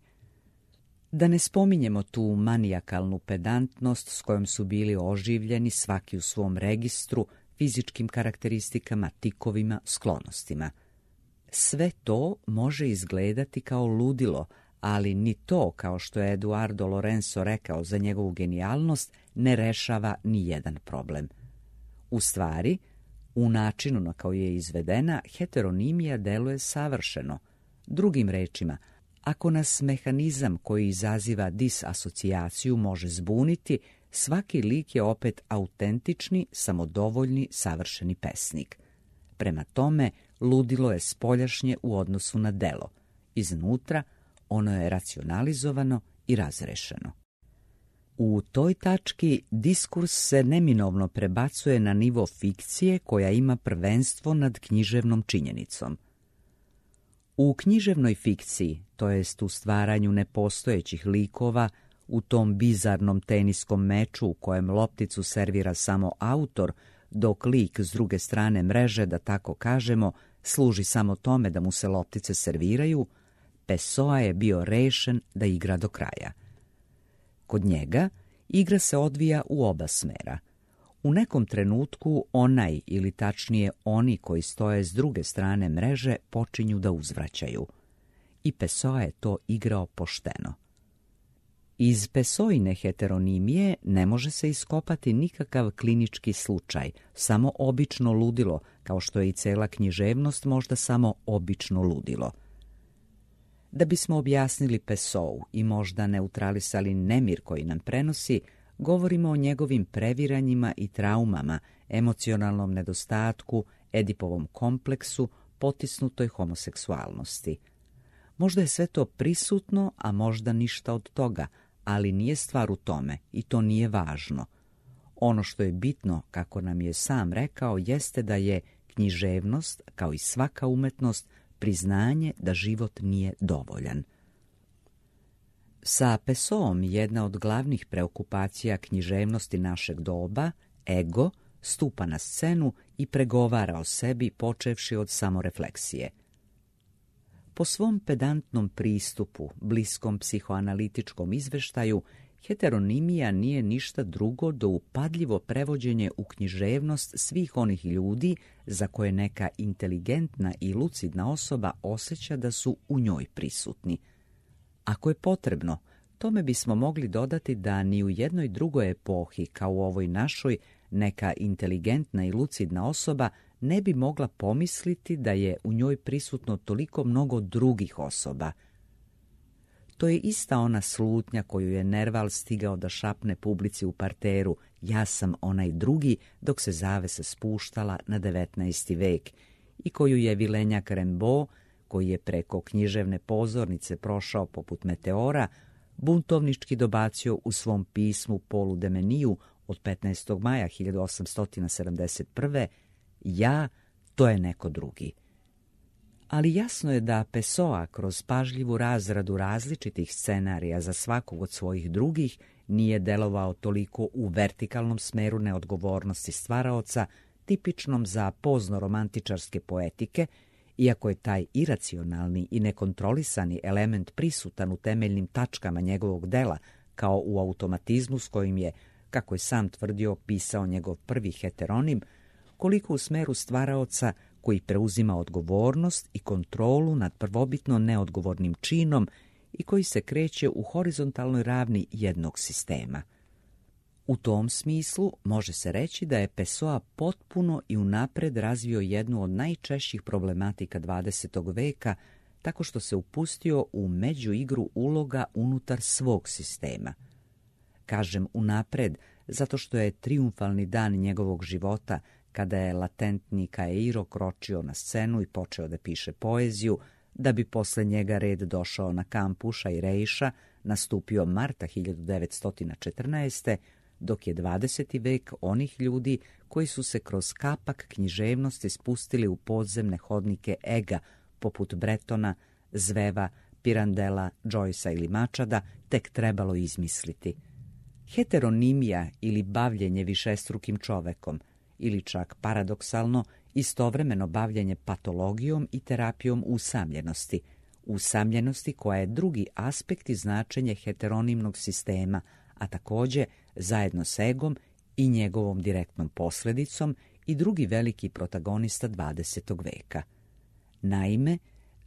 Da ne spominjemo tu manijakalnu pedantnost s kojom su bili oživljeni svaki u svom registru, fizičkim karakteristikama, tikovima, sklonostima. Sve to može izgledati kao ludilo, ali ni to, kao što je Eduardo Lorenzo rekao za njegovu genijalnost, ne rešava ni jedan problem. U stvari, u načinu na koji je izvedena, heteronimija deluje savršeno. Drugim rečima, ako nas mehanizam koji izaziva disasocijaciju može zbuniti, svaki lik je opet autentični, samodovoljni, savršeni pesnik. Prema tome, ludilo je spoljašnje u odnosu na delo. Iznutra ono je racionalizovano i razrešeno. U toj tački diskurs se neminovno prebacuje na nivo fikcije koja ima prvenstvo nad književnom činjenicom. U književnoj fikciji, to jest u stvaranju nepostojećih likova, u tom bizarnom teniskom meču u kojem lopticu servira samo autor, dok lik s druge strane mreže, da tako kažemo, služi samo tome da mu se loptice serviraju, Pessoa je bio rešen da igra do kraja. Kod njega igra se odvija u oba smera. U nekom trenutku onaj, ili tačnije oni koji stoje s druge strane mreže, počinju da uzvraćaju. I Pessoa je to igrao pošteno. Iz Pessoine heteronimije ne može se iskopati nikakav klinički slučaj, samo obično ludilo, kao što je i cela književnost možda samo obično ludilo. Da bismo objasnili Pessou i možda neutralisali nemir koji nam prenosi, govorimo o njegovim previranjima i traumama, emocionalnom nedostatku, Edipovom kompleksu, potisnutoj homoseksualnosti. Možda je sve to prisutno, a možda ništa od toga, ali nije stvar u tome i to nije važno. Ono što je bitno, kako nam je sam rekao, jeste da je književnost, kao i svaka umetnost, priznanje da život nije dovoljan. Sa Pessoom jedna od glavnih preokupacija književnosti našeg doba, ego, stupa na scenu i pregovara o sebi počevši od samorefleksije. Po svom pedantnom pristupu, bliskom psihoanalitičkom izveštaju, heteronimija nije ništa drugo do upadljivo prevođenje u književnost svih onih ljudi za koje neka inteligentna i lucidna osoba osjeća da su u njoj prisutni. Ako je potrebno, tome bismo mogli dodati da ni u jednoj drugoj epohi, kao u ovoj našoj, neka inteligentna i lucidna osoba ne bi mogla pomisliti da je u njoj prisutno toliko mnogo drugih osoba. To je ista ona slutnja koju je Nerval stigao da šapne publici u parteru, ja sam onaj drugi, dok se zavesa spuštala na devetnaesti vek, i koju je Vilenjak Rimbaud, koji je preko književne pozornice prošao poput meteora, buntovnički dobacio u svom pismu Polu Demeniju od petnaestog maja hiljadu osamsto sedamdeset prve. Ja, to je neko drugi. Ali jasno je da Pessoa kroz pažljivu razradu različitih scenarija za svakog od svojih drugih nije delovao toliko u vertikalnom smeru neodgovornosti stvaraoca, tipičnom za pozno-romantičarske poetike, iako je taj iracionalni i nekontrolisani element prisutan u temeljnim tačkama njegovog dela, kao u automatizmu s kojim je, kako je sam tvrdio, pisao njegov prvi heteronim, koliko u smeru stvaraoca koji preuzima odgovornost i kontrolu nad prvobitno neodgovornim činom i koji se kreće u horizontalnoj ravni jednog sistema. U tom smislu može se reći da je Pessoa potpuno i unapred razvio jednu od najčešćih problematika dvadesetog veka tako što se upustio u međuigru uloga unutar svog sistema. Kažem unapred zato što je trijumfalni dan njegovog života, kada je latentni Caeiro kročio na scenu i počeo da piše poeziju, da bi posle njega red došao na kampuša i Reiša, nastupio marta hiljadu devetsto četrnaeste. dok je dvadeseti vek onih ljudi koji su se kroz kapak književnosti spustili u podzemne hodnike ega, poput Bretona, Zveva, Pirandela, Joycea ili Mačada, tek trebalo izmisliti. Heteronimija ili bavljenje višestrukim čovekom, ili čak paradoksalno, istovremeno bavljenje patologijom i terapijom usamljenosti, usamljenosti koja je drugi aspekt i značenje heteronimnog sistema, a također zajedno s egom i njegovom direktnom posledicom i drugi veliki protagonista dvadesetog veka. Naime,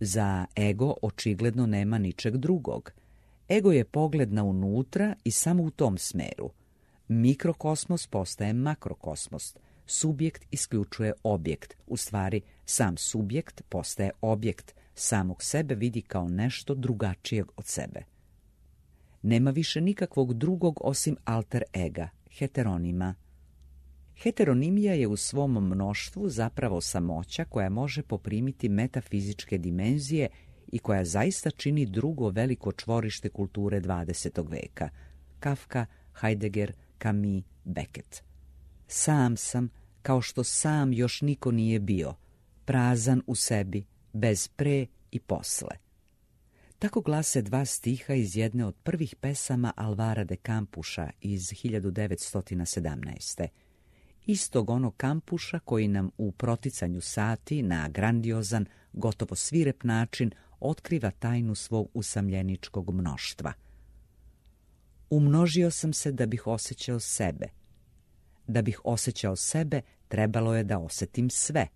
za ego očigledno nema ničeg drugog. Ego je pogled na unutra i samo u tom smeru. Mikrokosmos postaje makrokosmos. Subjekt isključuje objekt. U stvari, sam subjekt postaje objekt. Samog sebe vidi kao nešto drugačijeg od sebe. Nema više nikakvog drugog osim alter ega, heteronima. Heteronimija je u svom mnoštvu zapravo samoća koja može poprimiti metafizičke dimenzije i koja zaista čini drugo veliko čvorište kulture dvadesetog veka. Kafka, Heidegger, Camus, Beckett. Sam sam, kao što sam još niko nije bio, prazan u sebi, bez pre i posle. Tako glase dva stiha iz jedne od prvih pesama Alvara de Campuša iz hiljadu devetsto sedamnaeste. Istog onog Campuša koji nam u proticanju sati na grandiozan, gotovo svirep način otkriva tajnu svog usamljeničkog mnoštva. Umnožio sam se da bih osjećao sebe. Da bih osjećao sebe, trebalo je da osjetim sve.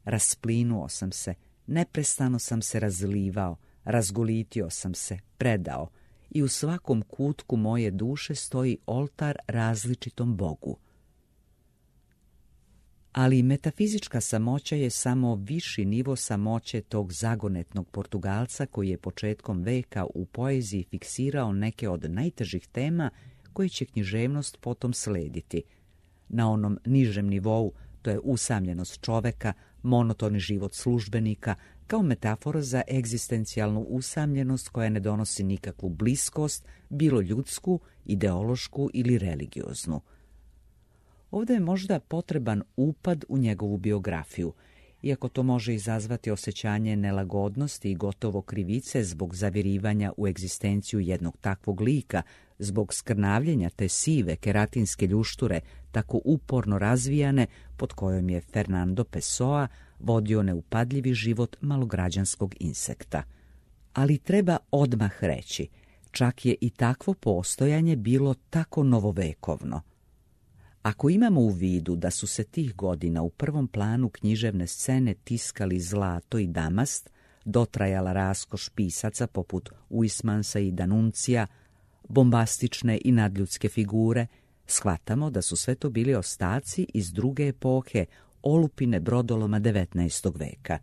Rasplinuo sam se, neprestano sam se razlivao, razgolitio sam se, predao i u svakom kutku moje duše stoji oltar različitom Bogu. Ali metafizička samoća je samo viši nivo samoće tog zagonetnog Portugalca koji je početkom veka u poeziji fiksirao neke od najtežih tema koje će književnost potom slediti. Na onom nižem nivou to je usamljenost čoveka, monotoni život službenika, kao metafora za egzistencijalnu usamljenost koja ne donosi nikakvu bliskost, bilo ljudsku, ideološku ili religioznu. Ovdje je možda potreban upad u njegovu biografiju, iako to može izazvati osjećanje nelagodnosti i gotovo krivice zbog zavirivanja u egzistenciju jednog takvog lika, zbog skrnavljenja te sive keratinske ljušture, tako uporno razvijane, pod kojom je Fernando Pessoa vodio neupadljivi život malograđanskog insekta. Ali treba odmah reći, čak je i takvo postojanje bilo tako novovekovno. Ako imamo u vidu da su se tih godina u prvom planu književne scene tiskali zlato i damast, dotrajala raskoš pisaca poput Uismansa i Danuncija, bombastične i nadljudske figure, shvatamo da su sve to bili ostaci iz druge epohe, olupine brodoloma devetnaestog veka.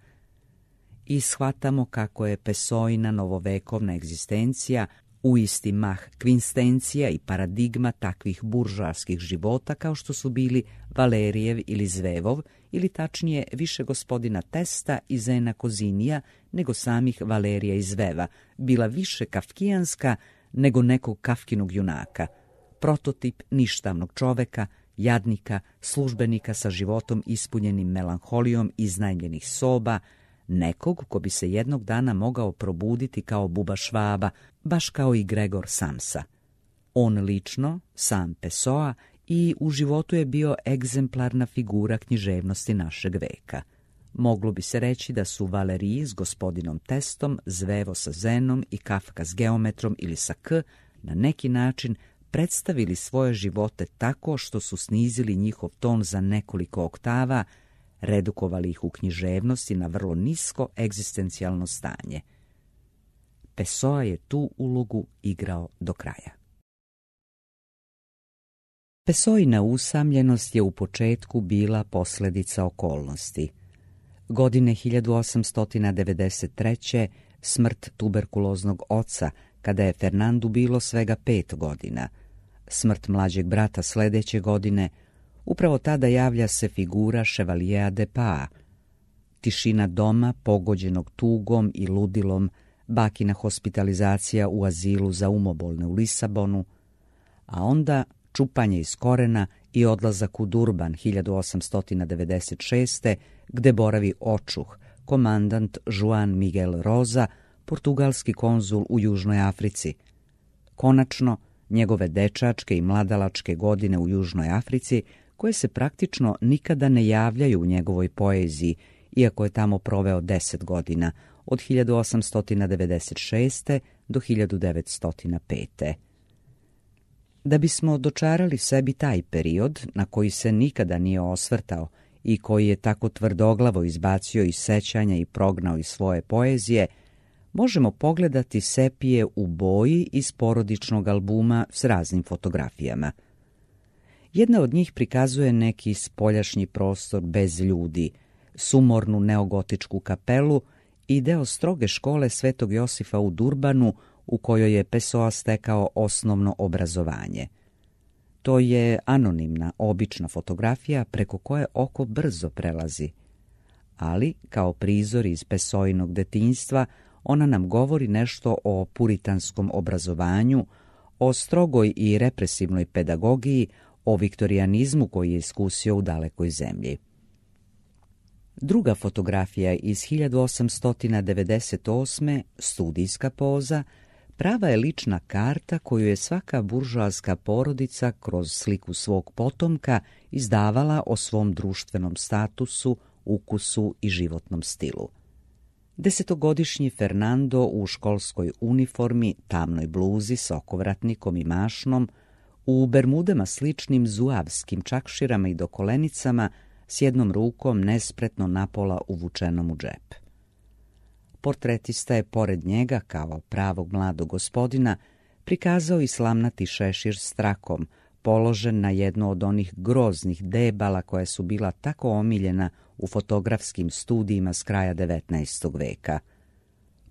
I shvatamo kako je Pessoina novovekovna egzistencija u isti mah kvinstencija i paradigma takvih buržoarskih života kao što su bili Valerijev ili Zvevov, ili tačnije više gospodina Testa i Zena Kozinija nego samih Valerija i Zveva, bila više kafkijanska nego nekog Kafkinog junaka, prototip ništavnog čoveka, jadnika, službenika sa životom ispunjenim melanholijom iznajmljenih soba, nekog ko bi se jednog dana mogao probuditi kao Buba Švaba, baš kao i Gregor Samsa. On lično, sam Pessoa, i u životu je bio egzemplarna figura književnosti našeg veka. Moglo bi se reći da su Valeriji s gospodinom Testom, Zvevo sa Zenom i Kafka s Geometrom ili sa K na neki način predstavili svoje živote tako što su snizili njihov ton za nekoliko oktava, redukovali ih u književnosti na vrlo nisko egzistencijalno stanje. Pessoa je tu ulogu igrao do kraja. Pessoina usamljenost je u početku bila posljedica okolnosti. Godine hiljadu osamsto devedeset treće smrt tuberkuloznog oca, kada je Fernandu bilo svega pet godina, smrt mlađeg brata sljedeće godine, upravo tada javlja se figura Chevaliera de Paa. Tišina doma pogođenog tugom i ludilom, bakina hospitalizacija u azilu za umobolne u Lisabonu, a onda čupanje iz korena i odlazak u Durban hiljadu osamsto devedeset šeste. gde boravi očuh, komandant Juan Miguel Rosa, portugalski konzul u Južnoj Africi. Konačno, njegove dečačke i mladalačke godine u Južnoj Africi, koje se praktično nikada ne javljaju u njegovoj poeziji, iako je tamo proveo deset godina, od hiljadu osamsto devedeset šeste. do hiljadu devetsto pete. Da bismo dočarali sebi taj period, na koji se nikada nije osvrtao i koji je tako tvrdoglavo izbacio iz sećanja i prognao iz svoje poezije, možemo pogledati sepije u boji iz porodičnog albuma s raznim fotografijama. Jedna od njih prikazuje neki spoljašnji prostor bez ljudi, sumornu neogotičku kapelu i deo stroge škole Svetog Josifa u Durbanu, u kojoj je Pessoa stekao osnovno obrazovanje. To je anonimna, obična fotografija preko koje oko brzo prelazi. Ali, kao prizor iz Pessoinog detinjstva, ona nam govori nešto o puritanskom obrazovanju, o strogoj i represivnoj pedagogiji, o viktorijanizmu koji je iskusio u dalekoj zemlji. Druga fotografija iz hiljadu osamsto devedeset osme, studijska poza, prava je lična karta koju je svaka buržoaska porodica kroz sliku svog potomka izdavala o svom društvenom statusu, ukusu i životnom stilu. Desetogodišnji Fernando u školskoj uniformi, tamnoj bluzi s okovratnikom i mašnom, u bermudama sličnim zuavskim čakširama i dokolenicama, s jednom rukom nespretno napola uvučenom u džep. Portretista je pored njega, kao pravog mladog gospodina, prikazao i slamnati šešir s trakom, položen na jedno od onih groznih debala koja su bila tako omiljena u fotografskim studijima s kraja devetnaestog veka.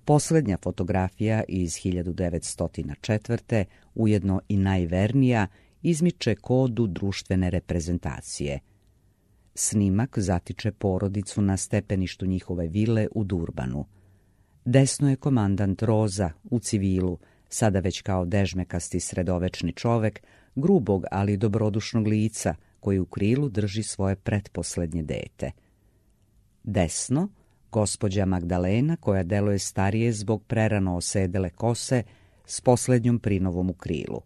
Posljednja fotografija iz hiljadu devetsto četvrte, ujedno i najvernija, izmiče kodu društvene reprezentacije. Snimak zatiče porodicu na stepeništu njihove vile u Durbanu. Desno je komandant Roza u civilu, sada već kao dežmekasti sredovečni čovek, grubog ali dobrodušnog lica, koji u krilu drži svoje pretposlednje dete. Desno, gospođa Magdalena, koja deluje starije zbog prerano osedele kose, s posljednjom prinovom u krilu.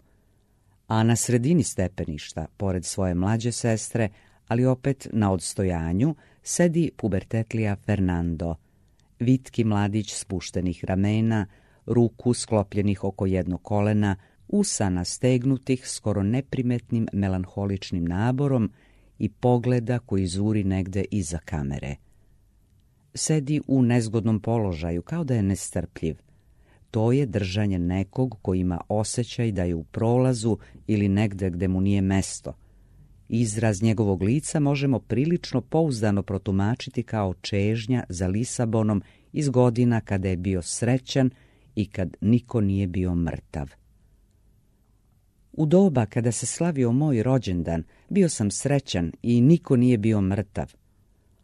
A na sredini stepeništa, pored svoje mlađe sestre, ali opet na odstojanju, sedi pubertetlija Fernando, vitki mladić spuštenih ramena, ruku sklopljenih oko jednog kolena, usana stegnutih skoro neprimetnim melanholičnim naborom i pogleda koji zuri negde iza kamere. Sedi u nezgodnom položaju, kao da je nestrpljiv. To je držanje nekog koji ima osjećaj da je u prolazu ili negde gde mu nije mesto. Izraz njegovog lica možemo prilično pouzdano protumačiti kao čežnja za Lisabonom iz godina kada je bio srećan i kad niko nije bio mrtav. U doba kada se slavio moj rođendan, bio sam srećan i niko nije bio mrtav.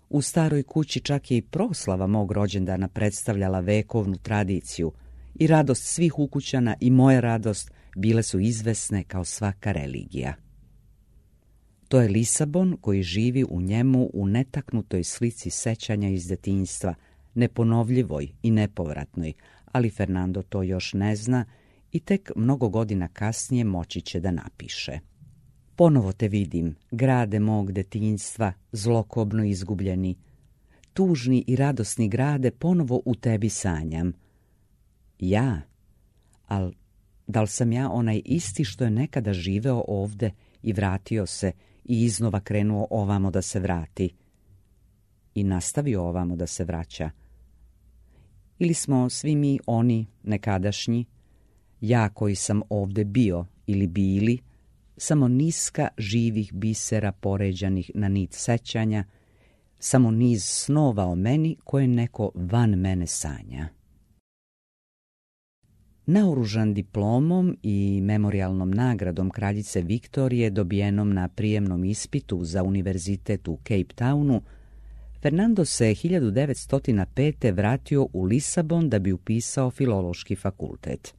U staroj kući čak je i proslava mog rođendana predstavljala vekovnu tradiciju i radost svih ukućana i moja radost bile su izvesne kao svaka religija. To je Lisabon koji živi u njemu u netaknutoj slici sećanja iz detinjstva, neponovljivoj i nepovratnoj, ali Fernando to još ne zna i tek mnogo godina kasnije moći će da napiše. Ponovo te vidim, grade mog detinjstva, zlokobno izgubljeni. Tužni i radosni grade ponovo u tebi sanjam. Ja? Al, da li sam ja onaj isti što je nekada živeo ovde i vratio se i iznova krenuo ovamo da se vrati? I nastavio ovamo da se vraća? Ili smo svi mi oni nekadašnji, ja koji sam ovde bio ili bili, samo niska živih bisera poređanih na nit sećanja, samo niz snova o meni koje neko van mene sanja. Naoružan diplomom i memorijalnom nagradom kraljice Viktorije dobijenom na prijemnom ispitu za univerzitet u Cape Townu, Fernando se hiljadu devetsto pete. vratio u Lisabon da bi upisao filološki fakultet.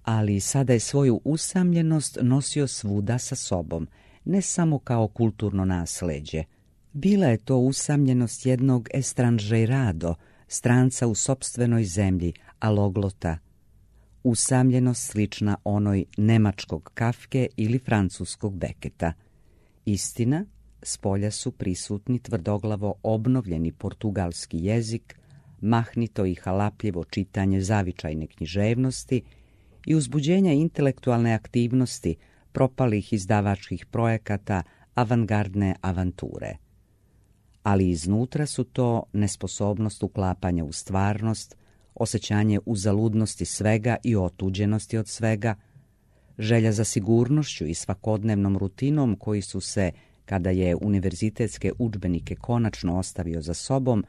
Ali sada je svoju usamljenost nosio svuda sa sobom, ne samo kao kulturno nasleđe. Bila je to usamljenost jednog estranžerado, stranca u sopstvenoj zemlji, aloglota. Usamljenost slična onoj nemačkog Kafke ili francuskog Beketa. Istina, spolja su prisutni tvrdoglavo obnovljeni portugalski jezik, mahnito i halapljivo čitanje zavičajne književnosti i uzbuđenja intelektualne aktivnosti propalih izdavačkih projekata avangardne avanture. Ali iznutra su to nesposobnost uklapanja u stvarnost, osjećanje uzaludnosti svega i otuđenosti od svega, želja za sigurnošću i svakodnevnom rutinom koji su se, kada je univerzitetske udžbenike konačno ostavio za sobom,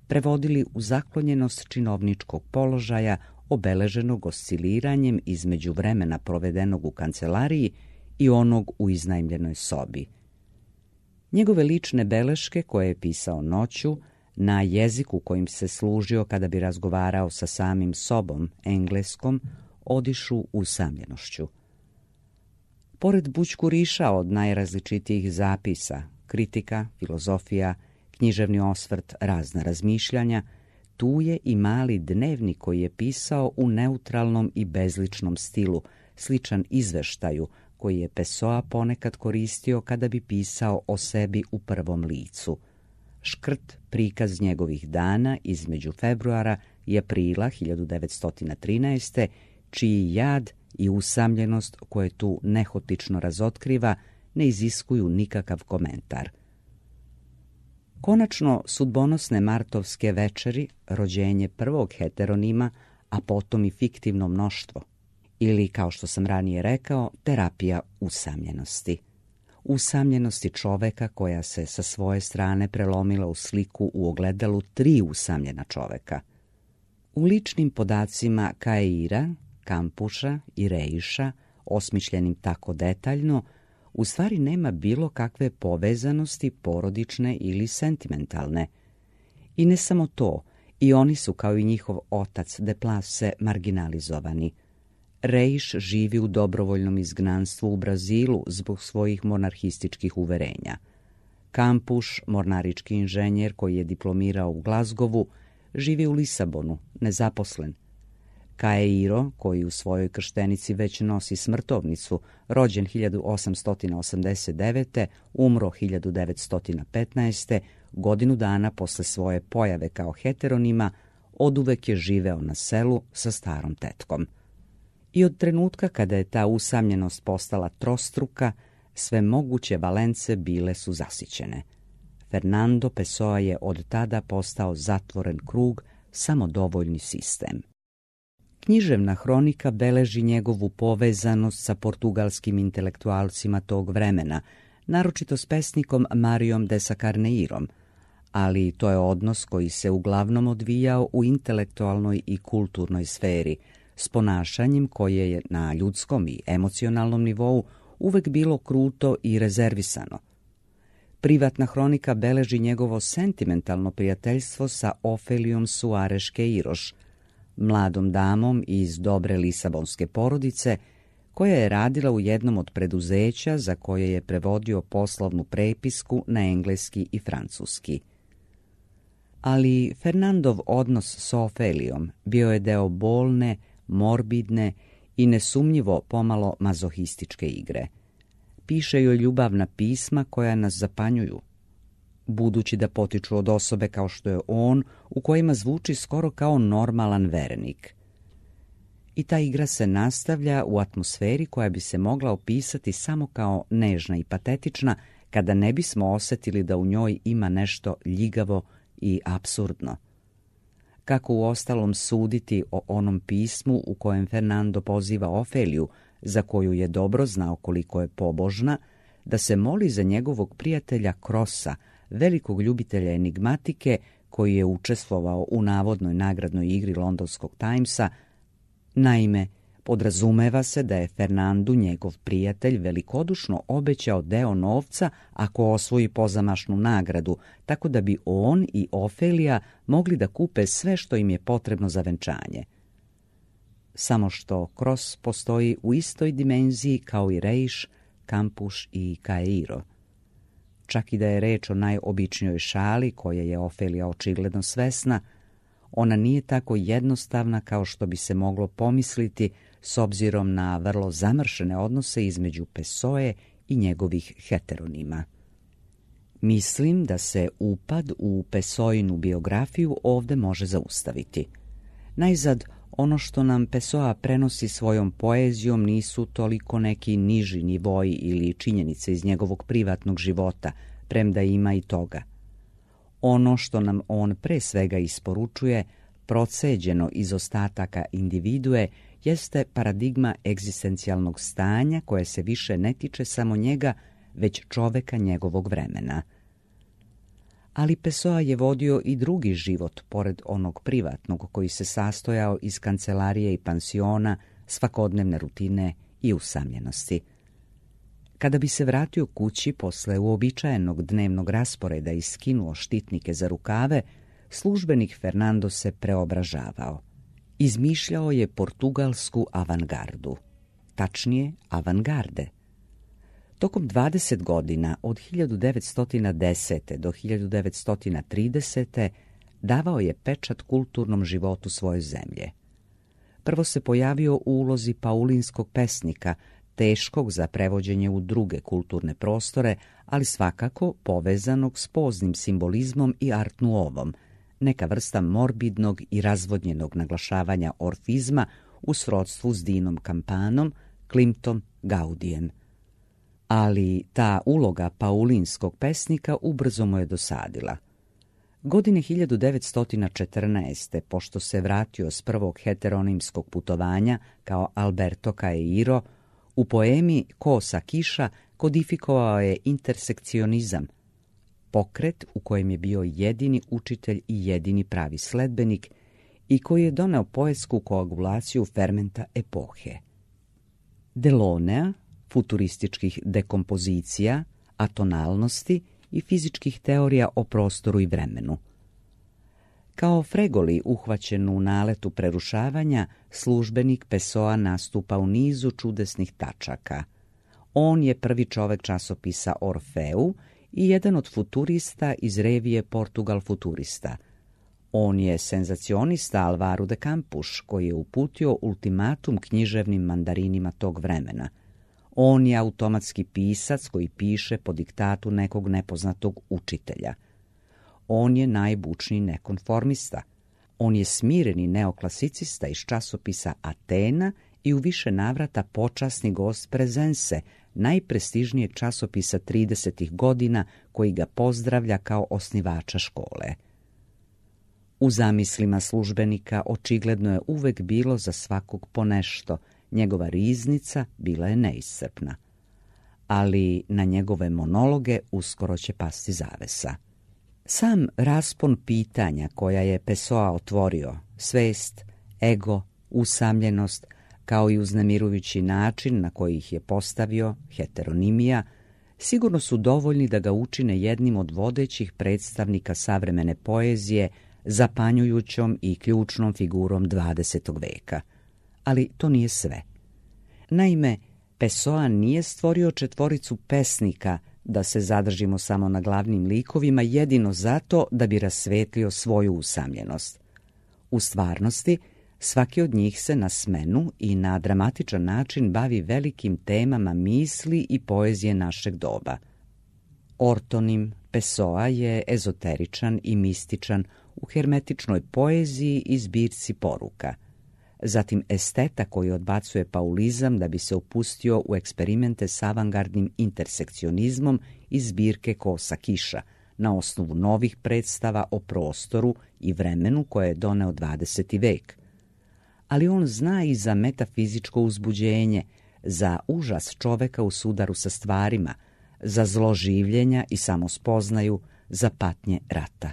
prevodili u zaklonjenost činovničkog položaja obeleženog osciliranjem između vremena provedenog u kancelariji i onog u iznajmljenoj sobi. Njegove lične beleške koje je pisao noću, na jeziku kojim se služio kada bi razgovarao sa samim sobom, engleskom, odišu usamljenošću. Pored bućkuriša od najrazličitijih zapisa, kritika, filozofija, književni osvrt, razna razmišljanja, tu je i mali dnevnik koji je pisao u neutralnom i bezličnom stilu, sličan izveštaju koji je Pessoa ponekad koristio kada bi pisao o sebi u prvom licu. Škrt prikaz njegovih dana između februara i aprila hiljadu devetsto trinaeste, čiji jad i usamljenost koje tu nehotično razotkriva ne iziskuju nikakav komentar. Konačno, sudbonosne martovske večeri, rođenje prvog heteronima, a potom i fiktivno mnoštvo, ili, kao što sam ranije rekao, terapija usamljenosti. Usamljenosti čoveka koja se sa svoje strane prelomila u sliku u ogledalu tri usamljena čoveka. U ličnim podacima Kaira, Kampuša i Reiša, osmišljenim tako detaljno, u stvari nema bilo kakve povezanosti porodične ili sentimentalne. I ne samo to, i oni su kao i njihov otac de Place marginalizovani. Reiš živi u dobrovoljnom izgnanstvu u Brazilu zbog svojih monarhističkih uverenja. Kampuš, mornarički inženjer koji je diplomirao u Glazgovu, živi u Lisabonu, nezaposlen. Kairo, koji u svojoj krštenici već nosi smrtovnicu, rođen hiljadu osamsto osamdeset devete. umro hiljadu devetsto petnaeste. godinu dana posle svoje pojave kao heteronima, oduvek je živeo na selu sa starom tetkom. I od trenutka kada je ta usamljenost postala trostruka, sve moguće valence bile su zasićene. Fernando Pessoa je od tada postao zatvoren krug, samodovoljni sistem. Književna hronika beleži njegovu povezanost sa portugalskim intelektualcima tog vremena, naročito s pesnikom Marijom de Sacarneirom, ali to je odnos koji se uglavnom odvijao u intelektualnoj i kulturnoj sferi, s ponašanjem koje je na ljudskom i emocionalnom nivou uvek bilo kruto i rezervisano. Privatna hronika beleži njegovo sentimentalno prijateljstvo sa Ofelijom Soares Queiroz, mladom damom iz dobre lisabonske porodice, koja je radila u jednom od preduzeća za koje je prevodio poslovnu prepisku na engleski i francuski. Ali Fernandov odnos s Ofelijom bio je deo bolne, morbidne i nesumnjivo pomalo mazohističke igre. Piše joj ljubavna pisma koja nas zapanjuju, budući da potiču od osobe kao što je on, u kojima zvuči skoro kao normalan verenik. I ta igra se nastavlja u atmosferi koja bi se mogla opisati samo kao nežna i patetična, kada ne bismo osjetili da u njoj ima nešto ljigavo i apsurdno. Kako u ostalom suditi o onom pismu u kojem Fernando poziva Ofeliju, za koju je dobro znao koliko je pobožna, da se moli za njegovog prijatelja Krosa, velikog ljubitelja enigmatike, koji je učestvovao u navodnoj nagradnoj igri londonskog Timesa. Naime, podrazumeva se da je Fernandu njegov prijatelj velikodušno obećao deo novca ako osvoji pozamašnu nagradu, tako da bi on i Ofelija mogli da kupe sve što im je potrebno za venčanje. Samo što Kros postoji u istoj dimenziji kao i Reiš, Kampuš i Kairo. Čak i da je reč o najobičnijoj šali koje je Ofelija očigledno svesna, ona nije tako jednostavna kao što bi se moglo pomisliti s obzirom na vrlo zamršene odnose između Pessoe i njegovih heteronima. Mislim da se upad u Pessoinu biografiju ovde može zaustaviti. Najzad, ono što nam Pessoa prenosi svojom poezijom nisu toliko neki niži nivoji ili činjenice iz njegovog privatnog života, premda ima i toga. Ono što nam on pre svega isporučuje, proceđeno iz ostataka individue, jeste paradigma egzistencijalnog stanja koje se više ne tiče samo njega, već čoveka njegovog vremena. Ali Pessoa je vodio i drugi život, pored onog privatnog koji se sastojao iz kancelarije i pansiona, svakodnevne rutine i usamljenosti. Kada bi se vratio kući posle uobičajenog dnevnog rasporeda i skinuo štitnike za rukave, službenik Fernando se preobražavao. Izmišljao je portugalsku avangardu, tačnije avangarde. Tokom dvadeset godina, od hiljadu devetsto desete. do hiljadu devetsto tridesete. davao je pečat kulturnom životu svoje zemlje. Prvo se pojavio u ulozi paulinskog pesnika, teškog za prevođenje u druge kulturne prostore, ali svakako povezanog s poznim simbolizmom i art nouvom, neka vrsta morbidnog i razvodnjenog naglašavanja orfizma u srodstvu s Dinom Kampanom, Klimtom, Gaudijem. Ali ta uloga paulinskog pesnika ubrzo mu je dosadila. Godine hiljadu devetsto četrnaeste. pošto se vratio s prvog heteronimskog putovanja kao Alberto Caeiro, u poemi Kosa kiša kodifikovao je intersekcionizam, pokret u kojem je bio jedini učitelj i jedini pravi sledbenik i koji je doneo poetsku koagulaciju fermenta epohe. Delonea, futurističkih dekompozicija, atonalnosti i fizičkih teorija o prostoru i vremenu. Kao Fregoli uhvaćen u naletu prerušavanja, službenik Pessoa nastupa u nizu čudesnih tačaka. On je prvi čovek časopisa Orfeu i jedan od futurista iz revije Portugal Futurista. On je senzacionista Alvaro de Campos, koji je uputio ultimatum književnim mandarinima tog vremena. On je automatski pisac koji piše po diktatu nekog nepoznatog učitelja. On je najbučniji nekonformista. On je smireni neoklasicista iz časopisa Atena i u više navrata počasni gost Prezense, najprestižnijeg časopisa tridesetih godina, koji ga pozdravlja kao osnivača škole. U zamislima službenika očigledno je uvek bilo za svakog ponešto. Njegova riznica bila je neiscrpna. Ali na njegove monologe uskoro će pasti zavesa. Sam raspon pitanja koja je Pessoa otvorio, svest, ego, usamljenost, kao i uznemirujući način na koji ih je postavio, heteronimija, sigurno su dovoljni da ga učine jednim od vodećih predstavnika savremene poezije, zapanjujućom i ključnom figurom dvadesetog veka. Ali to nije sve. Naime, Pessoa nije stvorio četvoricu pesnika, da se zadržimo samo na glavnim likovima, jedino zato da bi rasvetlio svoju usamljenost. U stvarnosti, svaki od njih se na smenu i na dramatičan način bavi velikim temama misli i poezije našeg doba. Ortonim Pessoa je ezoteričan i mističan u hermetičnoj poeziji i zbirci poruka. Zatim esteta koji odbacuje paulizam da bi se upustio u eksperimente s avangardnim intersekcionizmom iz zbirke Kosa kiša, na osnovu novih predstava o prostoru i vremenu koje je doneo dvadeseti vek. Ali on zna i za metafizičko uzbuđenje, za užas čoveka u sudaru sa stvarima, za zlo življenja i samospoznaju, za patnje rata.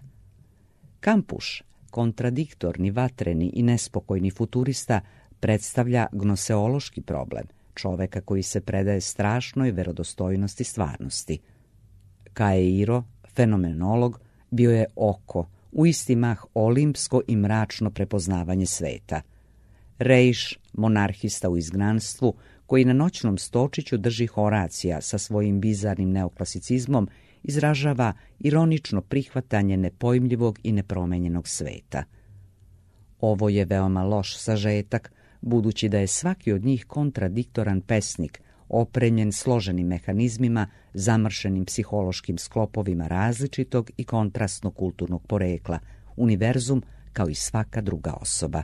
Kampuš, kontradiktorni, vatreni i nespokojni futurista, predstavlja gnoseološki problem, čoveka koji se predaje strašnoj verodostojnosti stvarnosti. Caeiro, fenomenolog, bio je oko, u isti mah olimpsko i mračno prepoznavanje sveta. Rejš, monarhista u izgnanstvu, koji na noćnom stočiću drži Horacija sa svojim bizarnim neoklasicizmom, izražava ironično prihvatanje nepojmljivog i nepromenjenog sveta. Ovo je veoma loš sažetak, budući da je svaki od njih kontradiktoran pesnik, opremljen složenim mehanizmima, zamršenim psihološkim sklopovima različitog i kontrastnog kulturnog porekla, univerzum kao i svaka druga osoba.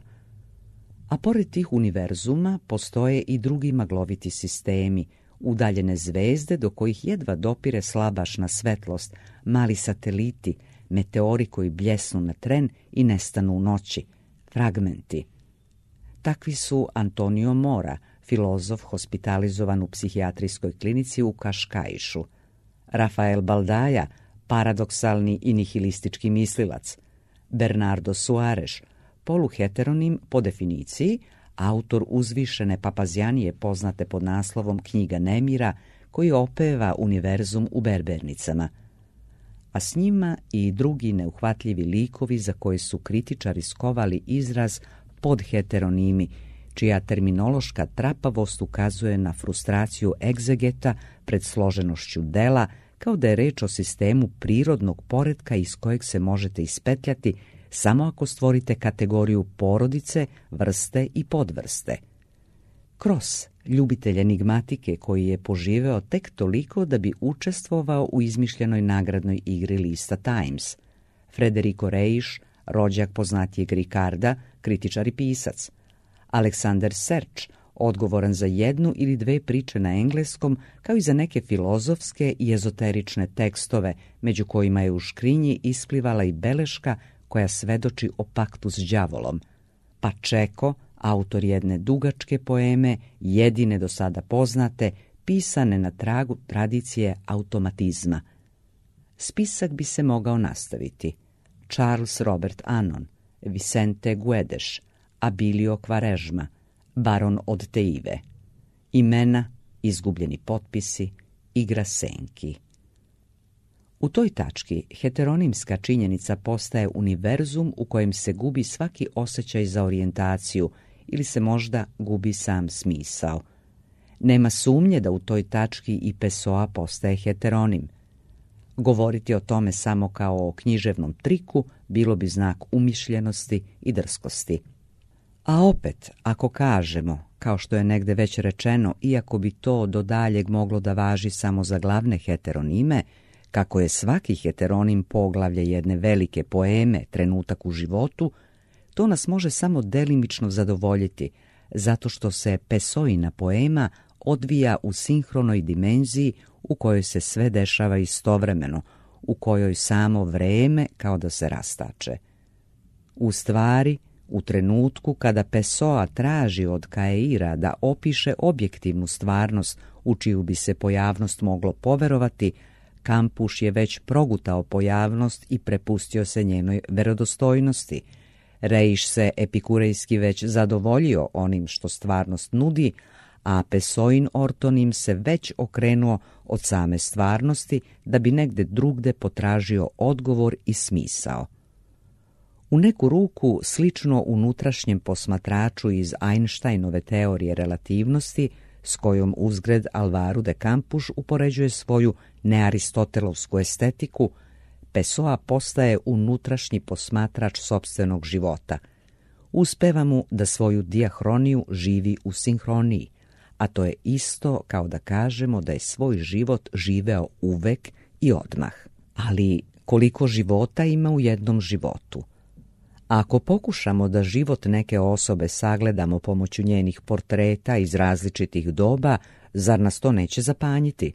A pored tih univerzuma postoje i drugi magloviti sistemi, udaljene zvezde do kojih jedva dopire slabašna svetlost, mali sateliti, meteori koji bljesnu na tren i nestanu u noći, fragmenti. Takvi su Antonio Mora, filozof hospitalizovan u psihijatrijskoj klinici u Kaškaišu, Rafael Baldaja, paradoksalni i nihilistički mislilac, Bernardo Soares, poluheteronim po definiciji, autor uzvišene papazjanije poznate pod naslovom Knjiga nemira, koji opeva univerzum u berbernicama, a s njima i drugi neuhvatljivi likovi za koje su kritičari skovali izraz podheteronimi, čija terminološka trapavost ukazuje na frustraciju egzegeta pred složenošću dela, kao da je reč o sistemu prirodnog poretka iz kojeg se možete ispetljati samo ako stvorite kategoriju porodice, vrste i podvrste. Cross, ljubitelj enigmatike koji je poživeo tek toliko da bi učestvovao u izmišljenoj nagradnoj igri lista Times. Federico Reiš, rođak poznatijeg Ricarda, kritičar i pisac. Alexander Serč, odgovoran za jednu ili dve priče na engleskom, kao i za neke filozofske i ezoterične tekstove, među kojima je u škrinji isplivala i beleška koja svedoči o paktu s đavolom. Pa Čeko, autor jedne dugačke poeme, jedine do sada poznate, pisane na tragu tradicije automatizma. Spisak bi se mogao nastaviti. Charles Robert Anon, Vicente Guedes, Abilio Quaresma, Baron od Teive. Imena, izgubljeni potpisi, igra senki. U toj tački heteronimska činjenica postaje univerzum u kojem se gubi svaki osjećaj za orijentaciju ili se možda gubi sam smisao. Nema sumnje da u toj tački i Pessoa postaje heteronim. Govoriti o tome samo kao o književnom triku bilo bi znak umišljenosti i drskosti. A opet, ako kažemo, kao što je negde već rečeno, iako bi to do daljeg moglo da važi samo za glavne heteronime, kako je svaki heteronim poglavlje jedne velike poeme, trenutak u životu, to nas može samo delimično zadovoljiti, zato što se Pessoina poema odvija u sinhronoj dimenziji u kojoj se sve dešava istovremeno, u kojoj samo vreme kao da se rastače. U stvari, u trenutku kada Pessoa traži od Caeira da opiše objektivnu stvarnost u čiju bi se pojavnost moglo poverovati, Kampuš je već progutao pojavnost i prepustio se njenoj verodostojnosti. Reiš se epikurejski već zadovoljio onim što stvarnost nudi, a Pessoin ortonim se već okrenuo od same stvarnosti da bi negde drugde potražio odgovor i smisao. U neku ruku, slično unutrašnjem posmatraču iz Einsteinove teorije relativnosti, s kojom uzgred Alvaro de Campos upoređuje svoju nearistotelovsku estetiku, Pessoa postaje unutrašnji posmatrač sopstvenog života. Uspeva mu da svoju dijahroniju živi u sinhroniji, a to je isto kao da kažemo da je svoj život živeo uvek i odmah. Ali koliko života ima u jednom životu? Ako pokušamo da život neke osobe sagledamo pomoću njenih portreta iz različitih doba, zar nas to neće zapanjiti?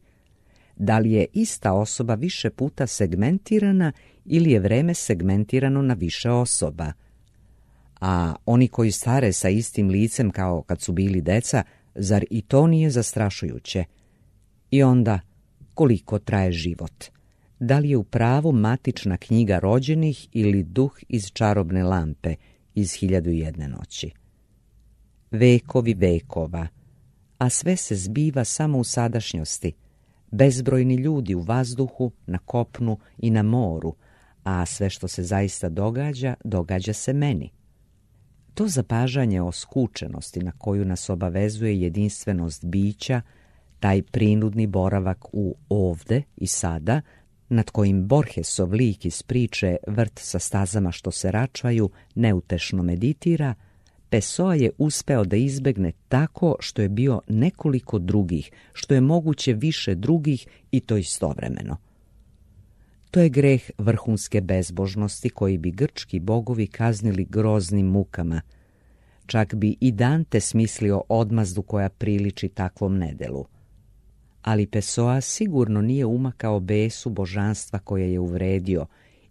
Da li je ista osoba više puta segmentirana ili je vreme segmentirano na više osoba? A oni koji stare sa istim licem kao kad su bili deca, zar i to nije zastrašujuće? I onda, koliko traje život? Da li je u pravu matična knjiga rođenih ili duh iz čarobne lampe iz Hiljadu i jedne noći? Vekovi vekova, a sve se zbiva samo u sadašnjosti. Bezbrojni ljudi u vazduhu, na kopnu i na moru, a sve što se zaista događa, događa se meni. To zapažanje o skučenosti na koju nas obavezuje jedinstvenost bića, taj prinudni boravak u ovde i sada, nad kojim Borgesov lik iz priče Vrt sa stazama što se račvaju neutešno meditira, Pessoa je uspeo da izbegne tako što je bio nekoliko drugih, što je moguće više drugih i to istovremeno. To je greh vrhunske bezbožnosti koji bi grčki bogovi kaznili groznim mukama. Čak bi i Dante smislio odmazdu koja priliči takvom nedelu. Ali Pessoa sigurno nije umakao besu božanstva koje je uvredio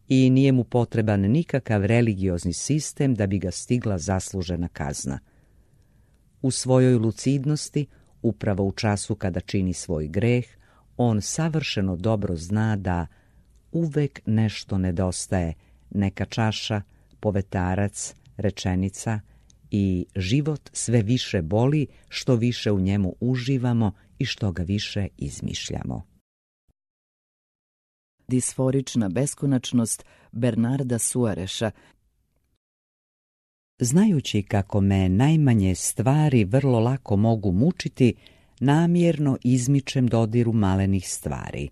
i nije mu potreban nikakav religiozni sistem da bi ga stigla zaslužena kazna. U svojoj lucidnosti, upravo u času kada čini svoj greh, on savršeno dobro zna da uvek nešto nedostaje, neka čaša, povetarac, rečenica i život sve više boli što više u njemu uživamo i što ga više izmišljamo. Disforična beskonačnost Bernarda Suareša. Znajući kako me najmanje stvari vrlo lako mogu mučiti, namjerno izmičem dodiru malenih stvari.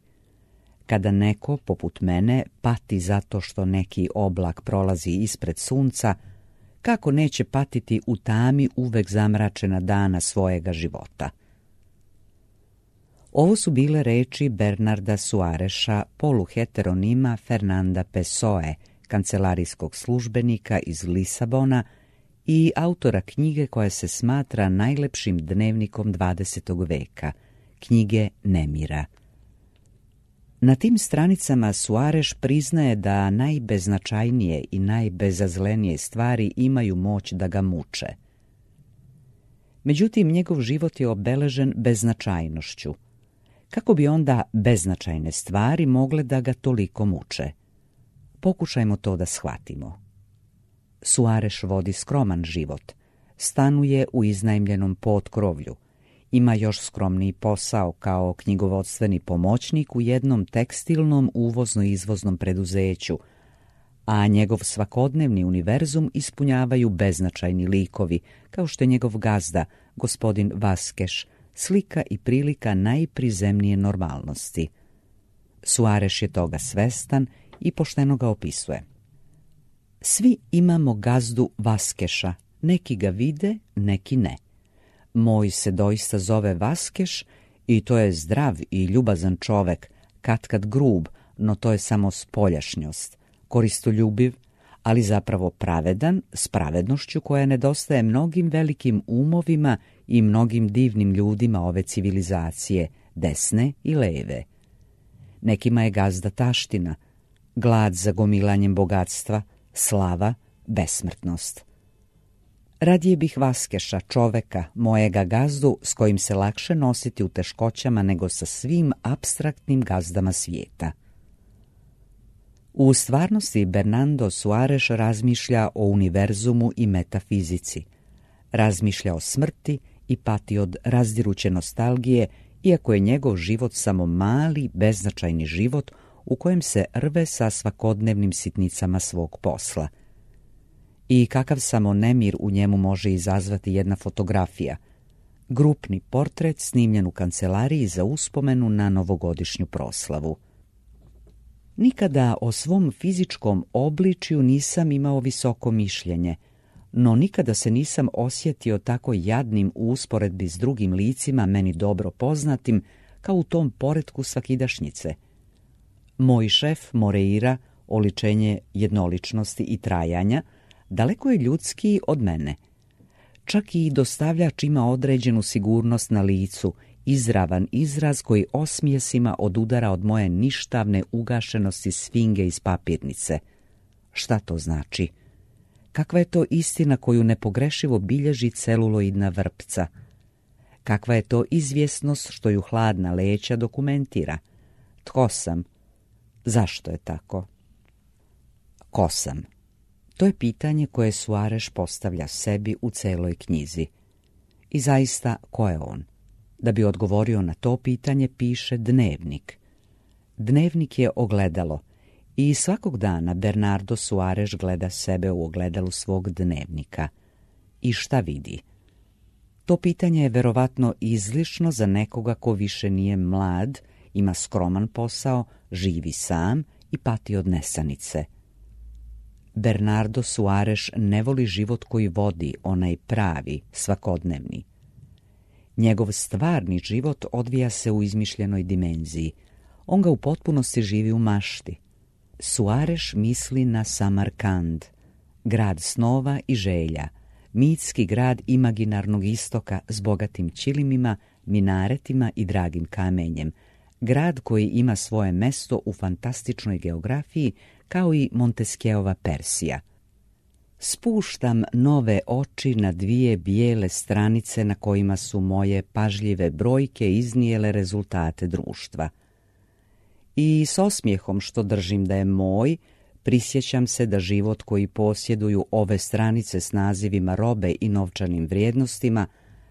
Kada neko, poput mene, pati zato što neki oblak prolazi ispred sunca, kako neće patiti u tami uvek zamračena dana svojega života? Ovo su bile reči Bernarda Suareša, poluheteronima Fernanda Pessoe, kancelarijskog službenika iz Lisabona i autora knjige koja se smatra najlepšim dnevnikom dvadesetog veka, knjige Nemira. Na tim stranicama Suareš priznaje da najbeznačajnije i najbezazlenije stvari imaju moć da ga muče. Međutim, njegov život je obeležen beznačajnošću. Kako bi onda beznačajne stvari mogle da ga toliko muče? Pokušajmo to da shvatimo. Suareš vodi skroman život, stanuje u iznajmljenom potkrovlju, ima još skromniji posao kao knjigovodstveni pomoćnik u jednom tekstilnom uvozno-izvoznom preduzeću, a njegov svakodnevni univerzum ispunjavaju beznačajni likovi, kao što je njegov gazda, gospodin Vaskeš, slika i prilika najprizemnije normalnosti. Suareš je toga svestan i pošteno ga opisuje. Svi imamo gazdu Vaskeša, neki ga vide, neki ne. Moj se doista zove Vaskeš i to je zdrav i ljubazan čovek, katkad grub, no to je samo spoljašnjost, koristoljubiv, ali zapravo pravedan, s pravednošću koja nedostaje mnogim velikim umovima i mnogim divnim ljudima ove civilizacije, desne i leve. Nekima je gazda taština, glad za gomilanjem bogatstva, slava, besmrtnost. Radije bih Vaskeša, čoveka, mojega gazdu, s kojim se lakše nositi u teškoćama nego sa svim apstraktnim gazdama svijeta. U stvarnosti Bernardo Suareš razmišlja o univerzumu i metafizici. Razmišlja o smrti i pati od razdiruće nostalgije, iako je njegov život samo mali, beznačajni život u kojem se rve sa svakodnevnim sitnicama svog posla. I kakav samo nemir u njemu može izazvati jedna fotografija, grupni portret snimljen u kancelariji za uspomenu na novogodišnju proslavu. Nikada o svom fizičkom obličju nisam imao visoko mišljenje, no nikada se nisam osjetio tako jadnim u usporedbi s drugim licima meni dobro poznatim kao u tom poretku svakidašnjice. Moj šef Moreira, oličenje jednoličnosti i trajanja, daleko je ljudskiji od mene. Čak i dostavljač ima određenu sigurnost na licu, izravan izraz koji osmijesima odudara od moje ništavne ugašenosti sfinge iz papirnice. Šta to znači? Kakva je to istina koju nepogrešivo bilježi celuloidna vrpca? Kakva je to izvjesnost što ju hladna leća dokumentira? Tko sam? Zašto je tako? Ko sam? To je pitanje koje Suareš postavlja sebi u celoj knjizi. I zaista, ko je on? Da bi odgovorio na to pitanje, piše dnevnik. Dnevnik je ogledalo i svakog dana Bernardo Suareš gleda sebe u ogledalu svog dnevnika. I šta vidi? To pitanje je verovatno izlišno za nekoga ko više nije mlad, ima skroman posao, živi sam i pati od nesanice. Bernardo Suareš ne voli život koji vodi, onaj pravi, svakodnevni. Njegov stvarni život odvija se u izmišljenoj dimenziji. On ga u potpunosti živi u mašti. Suareš misli na Samarkand, grad snova i želja, mitski grad imaginarnog istoka s bogatim ćilimima, minaretima i dragim kamenjem, grad koji ima svoje mesto u fantastičnoj geografiji kao i Montesquieuova Persija. Spuštam nove oči na dvije bijele stranice na kojima su moje pažljive brojke iznijele rezultate društva. I s osmijehom što držim da je moj, prisjećam se da život koji posjeduju ove stranice s nazivima robe i novčanim vrijednostima,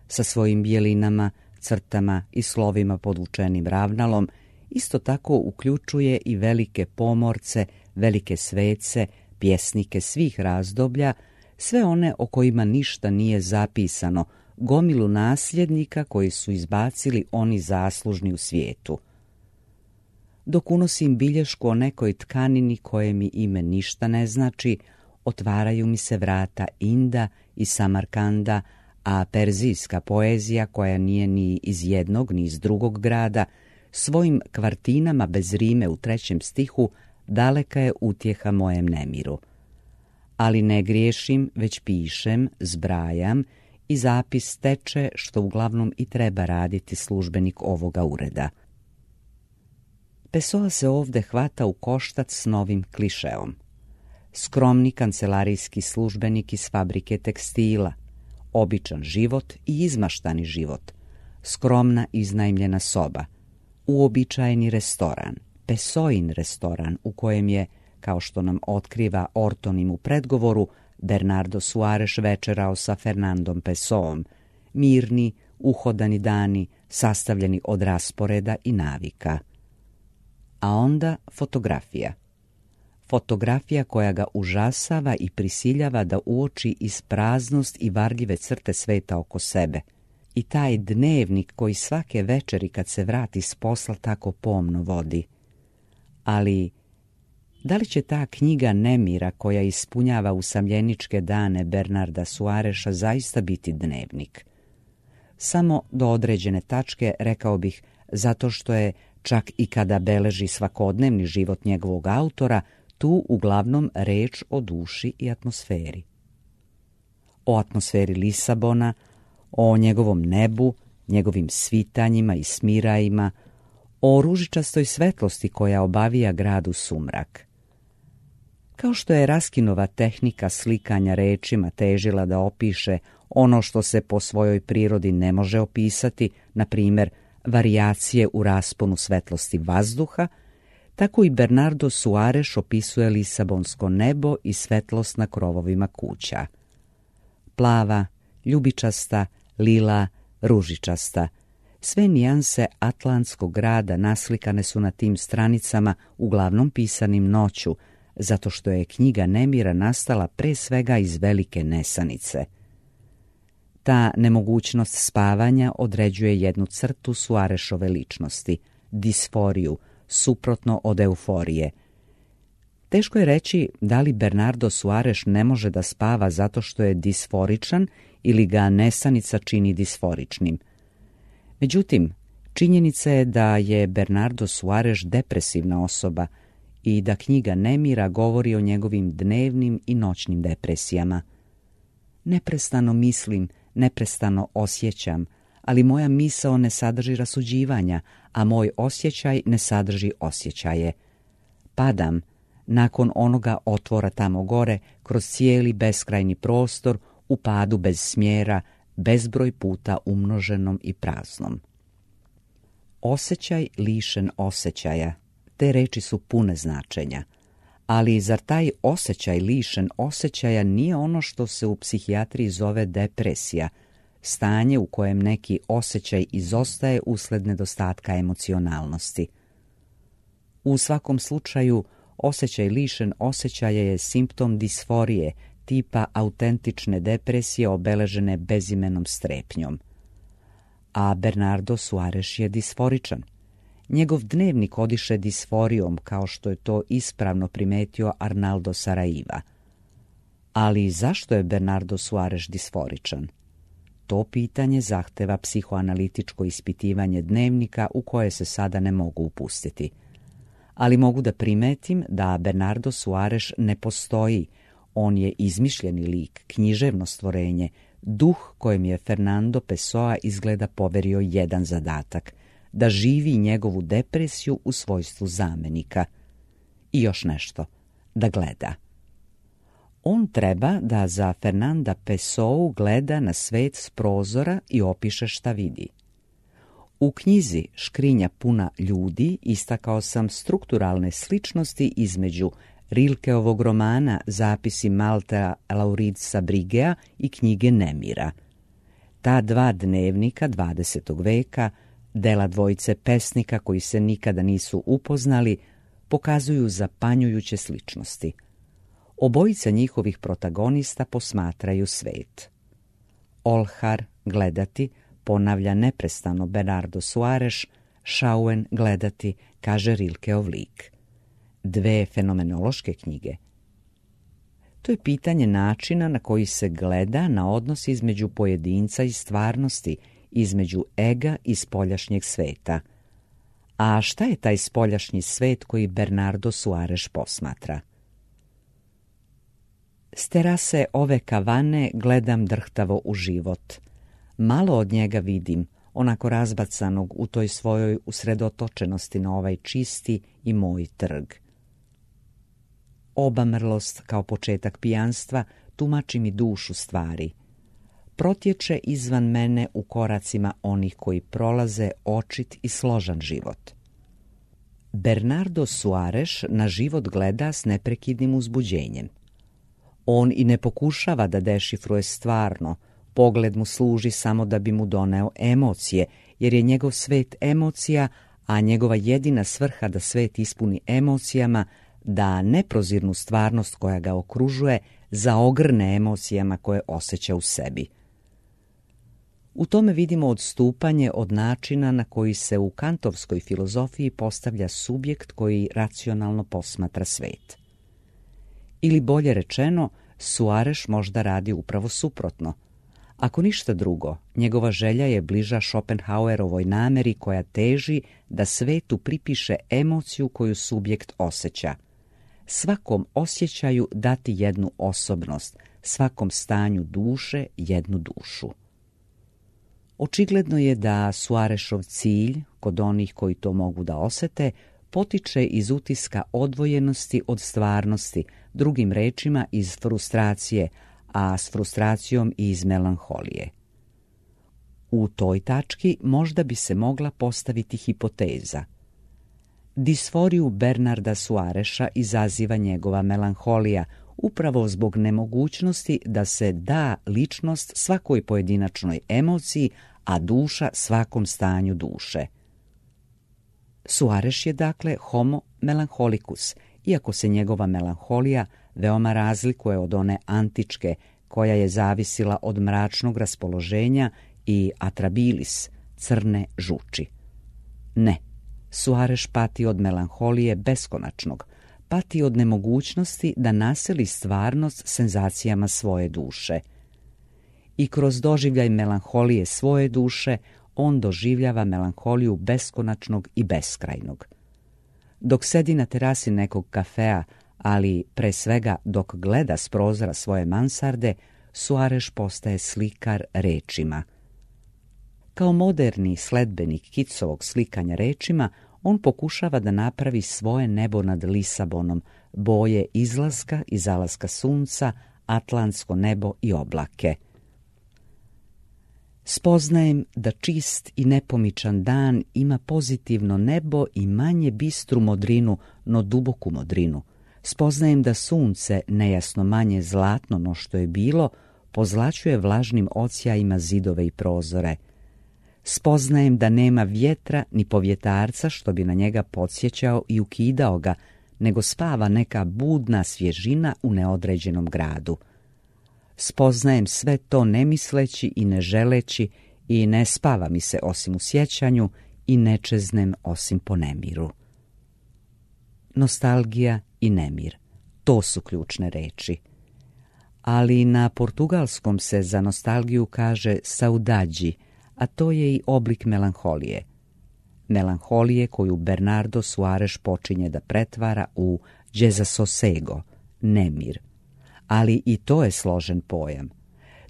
sa svojim bijelinama, crtama i slovima podvučenim ravnalom, isto tako uključuje i velike pomorce, velike svece, pjesnike svih razdoblja, sve one o kojima ništa nije zapisano, gomilu nasljednika koji su izbacili oni zaslužni u svijetu. Dok unosim bilješku o nekoj tkanini koje mi ime ništa ne znači, otvaraju mi se vrata Inda i Samarkanda, a perzijska poezija, koja nije ni iz jednog ni iz drugog grada, svojim kvartinama bez rime u trećem stihu daleka je utjeha mojem nemiru. Ali ne griješim, već pišem, zbrajam i zapis teče, što uglavnom i treba raditi službenik ovoga ureda. Pessoa se ovdje hvata u koštac s novim klišeom. Skromni kancelarijski službenik iz fabrike tekstila, običan život i izmaštani život, skromna iznajmljena soba, uobičajeni restoran, Pessoin restoran u kojem je, kao što nam otkriva Ortonim u predgovoru, Bernardo Soares večerao sa Fernandom Pessoom, mirni, uhodani dani, sastavljeni od rasporeda i navika. A onda fotografija. Fotografija koja ga užasava i prisiljava da uoči ispraznost i varljive crte sveta oko sebe. I taj dnevnik koji svake večeri kad se vrati s posla tako pomno vodi. Ali da li će ta knjiga nemira koja ispunjava usamljeničke dane Bernarda Soaresa zaista biti dnevnik? Samo do određene tačke, rekao bih, zato što je, čak i kada beleži svakodnevni život njegovog autora, tu uglavnom reč o duši i atmosferi. O atmosferi Lisabona, o njegovom nebu, njegovim svitanjima i smirajima, o ružičastoj svetlosti koja obavija grad u sumrak. Kao što je Raskinova tehnika slikanja rečima težila da opiše ono što se po svojoj prirodi ne može opisati, na primjer varijacije u rasponu svetlosti vazduha, tako i Bernardo Soares opisuje lisabonsko nebo i svetlost na krovovima kuća. Plava, ljubičasta, lila, ružičasta. Sve nijanse atlantskog grada naslikane su na tim stranicama, uglavnom pisanim noću, zato što je knjiga nemira nastala pre svega iz velike nesanice. Ta nemogućnost spavanja određuje jednu crtu Soaresove ličnosti, disforiju, suprotno od euforije. Teško je reći da li Bernardo Soares ne može da spava zato što je disforičan ili ga nesanica čini disforičnim. Međutim, činjenica je da je Bernardo Soares depresivna osoba i da knjiga nemira govori o njegovim dnevnim i noćnim depresijama. Neprestano mislim, neprestano osjećam, ali moja misao ne sadrži rasuđivanja, a moj osjećaj ne sadrži osjećaje. Padam, nakon onoga otvora tamo gore, kroz cijeli beskrajni prostor, u padu bez smjera, bezbroj puta umnoženom i praznom. Osjećaj lišen osjećaja. Te reči su pune značenja. Ali zar taj osjećaj lišen osjećaja nije ono što se u psihijatriji zove depresija, stanje u kojem neki osjećaj izostaje usled nedostatka emocionalnosti? U svakom slučaju, osjećaj lišen osjećaja je simptom disforije, tipa autentične depresije obeležene bezimenom strepnjom. A Bernardo Soares je disforičan. Njegov dnevnik odiše disforijom, kao što je to ispravno primetio Arnaldo Saraiva. Ali zašto je Bernardo Soares disforičan? To pitanje zahteva psihoanalitičko ispitivanje dnevnika u koje se sada ne mogu upustiti. Ali mogu da primetim da Bernardo Soares ne postoji. On je izmišljeni lik, književno stvorenje, duh kojem je Fernando Pessoa izgleda poverio jedan zadatak, da živi njegovu depresiju u svojstvu zamenika. I još nešto, da gleda. On treba da za Fernanda Pessoa gleda na svet s prozora i opiše šta vidi. U knjizi Škrinja puna ljudi istakao sam strukturalne sličnosti između Rilkeovog romana Zapisi Maltea Lauridsa Brigea i knjige Nemira. Ta dva dnevnika dvadesetog veka, dela dvojice pesnika koji se nikada nisu upoznali, pokazuju zapanjujuće sličnosti. Obojica njihovih protagonista posmatraju svet. Olhar, gledati, ponavlja neprestano Bernardo Soares, Schauen, gledati, kaže Rilkeov lik. Dve fenomenološke knjige. To je pitanje načina na koji se gleda na odnos između pojedinca i stvarnosti, između ega i spoljašnjeg sveta. A šta je taj spoljašnji svet koji Bernardo Soares posmatra? S terase ove kavane gledam drhtavo u život. Malo od njega vidim, onako razbacanog u toj svojoj usredotočenosti na ovaj čisti i moj trg. Obamrlost kao početak pijanstva tumači mi dušu stvari. Protječe izvan mene u koracima onih koji prolaze očit i složan život. Bernardo Soares na život gleda s neprekidnim uzbuđenjem. On i ne pokušava da dešifruje stvarno, pogled mu služi samo da bi mu doneo emocije, jer je njegov svet emocija, a njegova jedina svrha da svet ispuni emocijama, da neprozirnu stvarnost koja ga okružuje zaogrne emocijama koje osjeća u sebi. U tome vidimo odstupanje od načina na koji se u kantovskoj filozofiji postavlja subjekt koji racionalno posmatra svet. Ili bolje rečeno, Soares možda radi upravo suprotno. Ako ništa drugo, njegova želja je bliža Schopenhauerovoj nameri koja teži da svetu pripiše emociju koju subjekt osjeća. Svakom osjećaju dati jednu osobnost, svakom stanju duše jednu dušu. Očigledno je da Soaresov cilj, kod onih koji to mogu da osete, potiče iz utiska odvojenosti od stvarnosti, drugim rečima iz frustracije, a s frustracijom i iz melanholije. U toj tački možda bi se mogla postaviti hipoteza. Disforiju Bernarda Soaresa izaziva njegova melanholija, upravo zbog nemogućnosti da se da ličnost svakoj pojedinačnoj emociji, a duša svakom stanju duše. Soares je dakle homo melancholicus, iako se njegova melanholija veoma razlikuje od one antičke, koja je zavisila od mračnog raspoloženja i atrabilis, crne žuči. Ne, Soares pati od melanholije beskonačnog, pati od nemogućnosti da naseli stvarnost senzacijama svoje duše. I kroz doživljaj melanholije svoje duše, on doživljava melanholiju beskonačnog i beskrajnog. Dok sedi na terasi nekog kafea, ali pre svega dok gleda s prozora svoje mansarde, Soares postaje slikar rečima. Kao moderni sledbenik Kitsovog slikanja rečima, on pokušava da napravi svoje nebo nad Lisabonom, boje izlaska i zalaska sunca, atlantsko nebo i oblake. Spoznajem da čist i nepomičan dan ima pozitivno nebo i manje bistru modrinu, no duboku modrinu. Spoznajem da sunce, nejasno manje zlatno no što je bilo, pozlaćuje vlažnim odsjajima zidove i prozore. Spoznajem da nema vjetra ni povjetarca što bi na njega podsjećao i ukidao ga, nego spava neka budna svježina u neodređenom gradu. Spoznajem sve to ne misleći i ne želeći i ne spava mi se osim u sjećanju i ne čeznem osim po nemiru. Nostalgija i nemir, to su ključne reči. Ali na portugalskom se za nostalgiju kaže saudade, a to je i oblik melanholije. Melanholije koju Bernardo Soares počinje da pretvara u desassossego, nemir. Ali i to je složen pojam.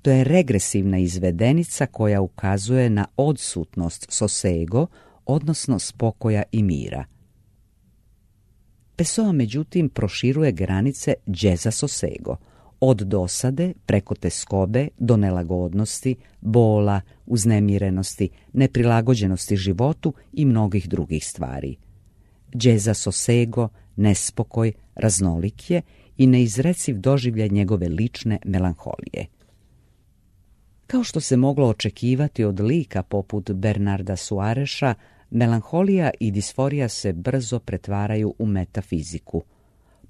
To je regresivna izvedenica koja ukazuje na odsutnost sossego, odnosno spokoja i mira. Pessoa, međutim, proširuje granice desassossego, od dosade preko teskobe do nelagodnosti, bola, uznemirenosti, neprilagođenosti životu i mnogih drugih stvari. Desassossego, nespokoj, raznolik je i neizreciv doživljaj njegove lične melanholije. Kao što se moglo očekivati od lika poput Bernarda Suareša, melanholija i disforija se brzo pretvaraju u metafiziku.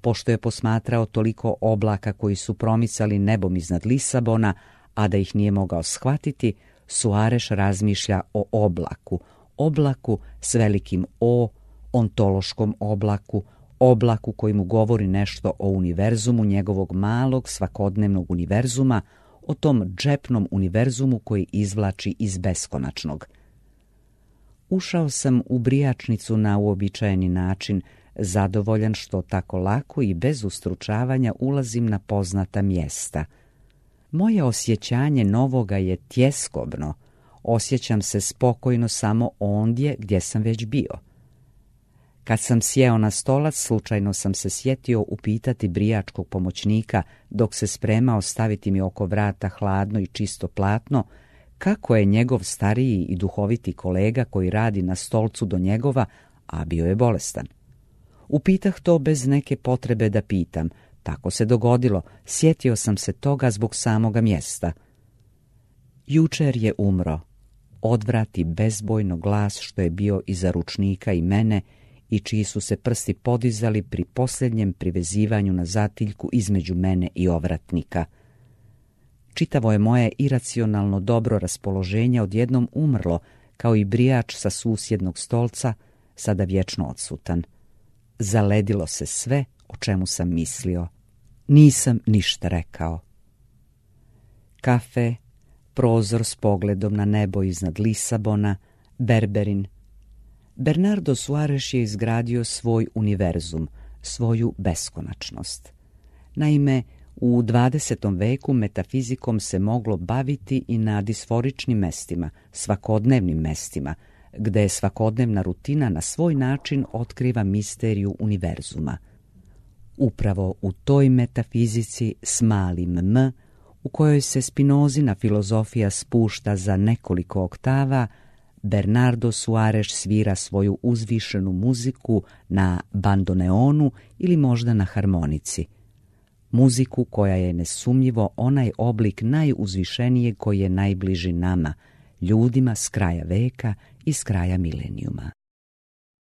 Pošto je posmatrao toliko oblaka koji su promicali nebom iznad Lisabona, a da ih nije mogao shvatiti, Suareš razmišlja o oblaku, oblaku s velikim O, ontološkom oblaku, oblaku koji mu govori nešto o univerzumu njegovog malog svakodnevnog univerzuma, o tom džepnom univerzumu koji izvlači iz beskonačnog. Ušao sam u brijačnicu na uobičajeni način, zadovoljan što tako lako i bez ustručavanja ulazim na poznata mjesta. Moje osjećanje novoga je tjeskobno, osjećam se spokojno samo ondje gdje sam već bio. Kad sam sjeo na stolac, slučajno sam se sjetio upitati brijačkog pomoćnika, dok se spremao staviti mi oko vrata hladno i čisto platno, kako je njegov stariji i duhoviti kolega koji radi na stolcu do njegova, a bio je bolestan. Upitah to bez neke potrebe da pitam, tako se dogodilo, sjetio sam se toga zbog samoga mjesta. Jučer je umro, odvrati bezbojno glas što je bio iza ručnika i mene i čiji su se prsti podizali pri posljednjem privezivanju na zatiljku između mene i ovratnika. Čitavo je moje iracionalno dobro raspoloženje odjednom umrlo, kao i brijač sa susjednog stolca, sada vječno odsutan. Zaledilo se sve o čemu sam mislio. Nisam ništa rekao. Kafe, prozor s pogledom na nebo iznad Lisabona, Berberin. Bernardo Suareš je izgradio svoj univerzum, svoju beskonačnost. Naime, u dvadesetom veku metafizikom se moglo baviti i na disforičnim mestima, svakodnevnim mestima, gde svakodnevna rutina na svoj način otkriva misteriju univerzuma. Upravo u toj metafizici s malim m, u kojoj se Spinozina filozofija spušta za nekoliko oktava, Bernardo Suareš svira svoju uzvišenu muziku na bandoneonu ili možda na harmonici. Muziku koja je nesumnjivo onaj oblik najuzvišenijeg koji je najbliži nama, ljudima s kraja veka i s kraja milenijuma.